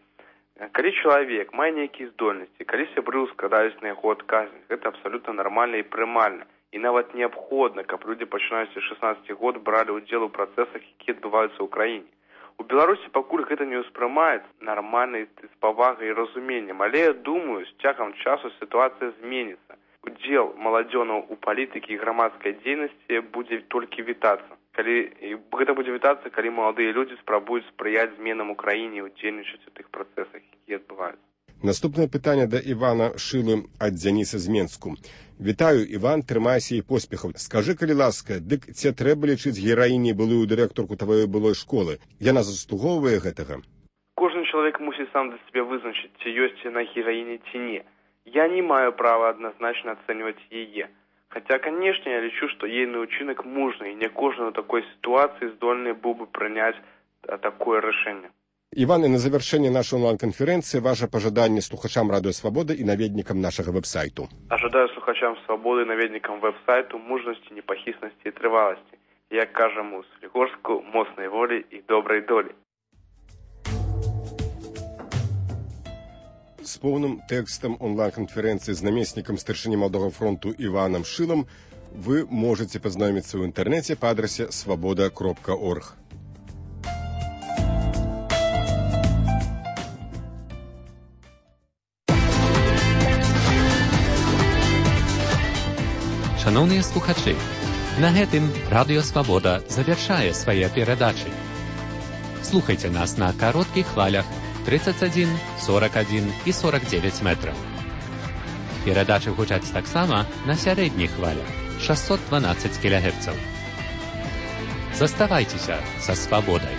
калі чалавек мае нейкія здольнасці, калі сябры складаюць на яго адказнасць, гэта абсалютна нармальна і прымальна. І нават неабходна, каб людзі пачынаюць з шаснаццаці год бралі ўдзел у працэсах, якія адбываюцца ў краіне. У Беларусі пакуль гэта не ўспрымаецца нармальна з павагай і разуменнем, але я думаю, з цягам часу сітуацыя зменіцца. Удзел маладзёнаў у палітыкі і грамадскай дзейнасці будзе толькі вітацца. Калі гэта будзе вітацца, калі маладыя людзі спрабуюць спрыяць зменам у краіне і удзельнічаць у тых працэсах, якія адбываюцца. Наступнае пытанне да Івана Шылы ад Дзяніса з Менску. Вітаю, Іван, трымайся і поспехаў. Скажы, калі ласка, дык ці трэба лічыць гераіняй былую дырэктарку тваёй былой школы? Яна заслугоўвае гэтага? Кожны чалавек мусіць сам для сябе вызначыць, ці ёсць яна гераіня, ці не. Я не маю права адназначна ацэньваць яе. Хаця, канешне, я лічу, што ейны ўчынак мужны, і не кожны ў такой сітуацыі здольны быў бы прыняць такое рашэнне. Іван, і на завяршэнне нашай онлайн-канферэнцыі ваша пажаданне слухачам Радыё Свабода і наведнікам нашага вэб-сайту. Ажадаю слухачам Свабоды і наведнікам вэб-сайту мужнасці, непахіснасці і трываласці. Як кажам у Салігорску, моцнай волі і добрай долі. З поўным тэкстам онлайн-канферэнцыі з намеснікам старшыні Малдога фронту Іванам Шылам вы можаце пазнаёміцца ў інтэрнэце па адрасе свабода кропка орг. Шановныя слухачы, на гэтым Радыё Свабода завяршае свае перадачы. Слухайце нас на кароткіх хвалях тридцать один, сорок один і сорок девять метраў. Перадачы гучаць таксама на сярэдніх хвалях шестьсот двенадцать кілогерцаў. Заставайцеся са свабодай.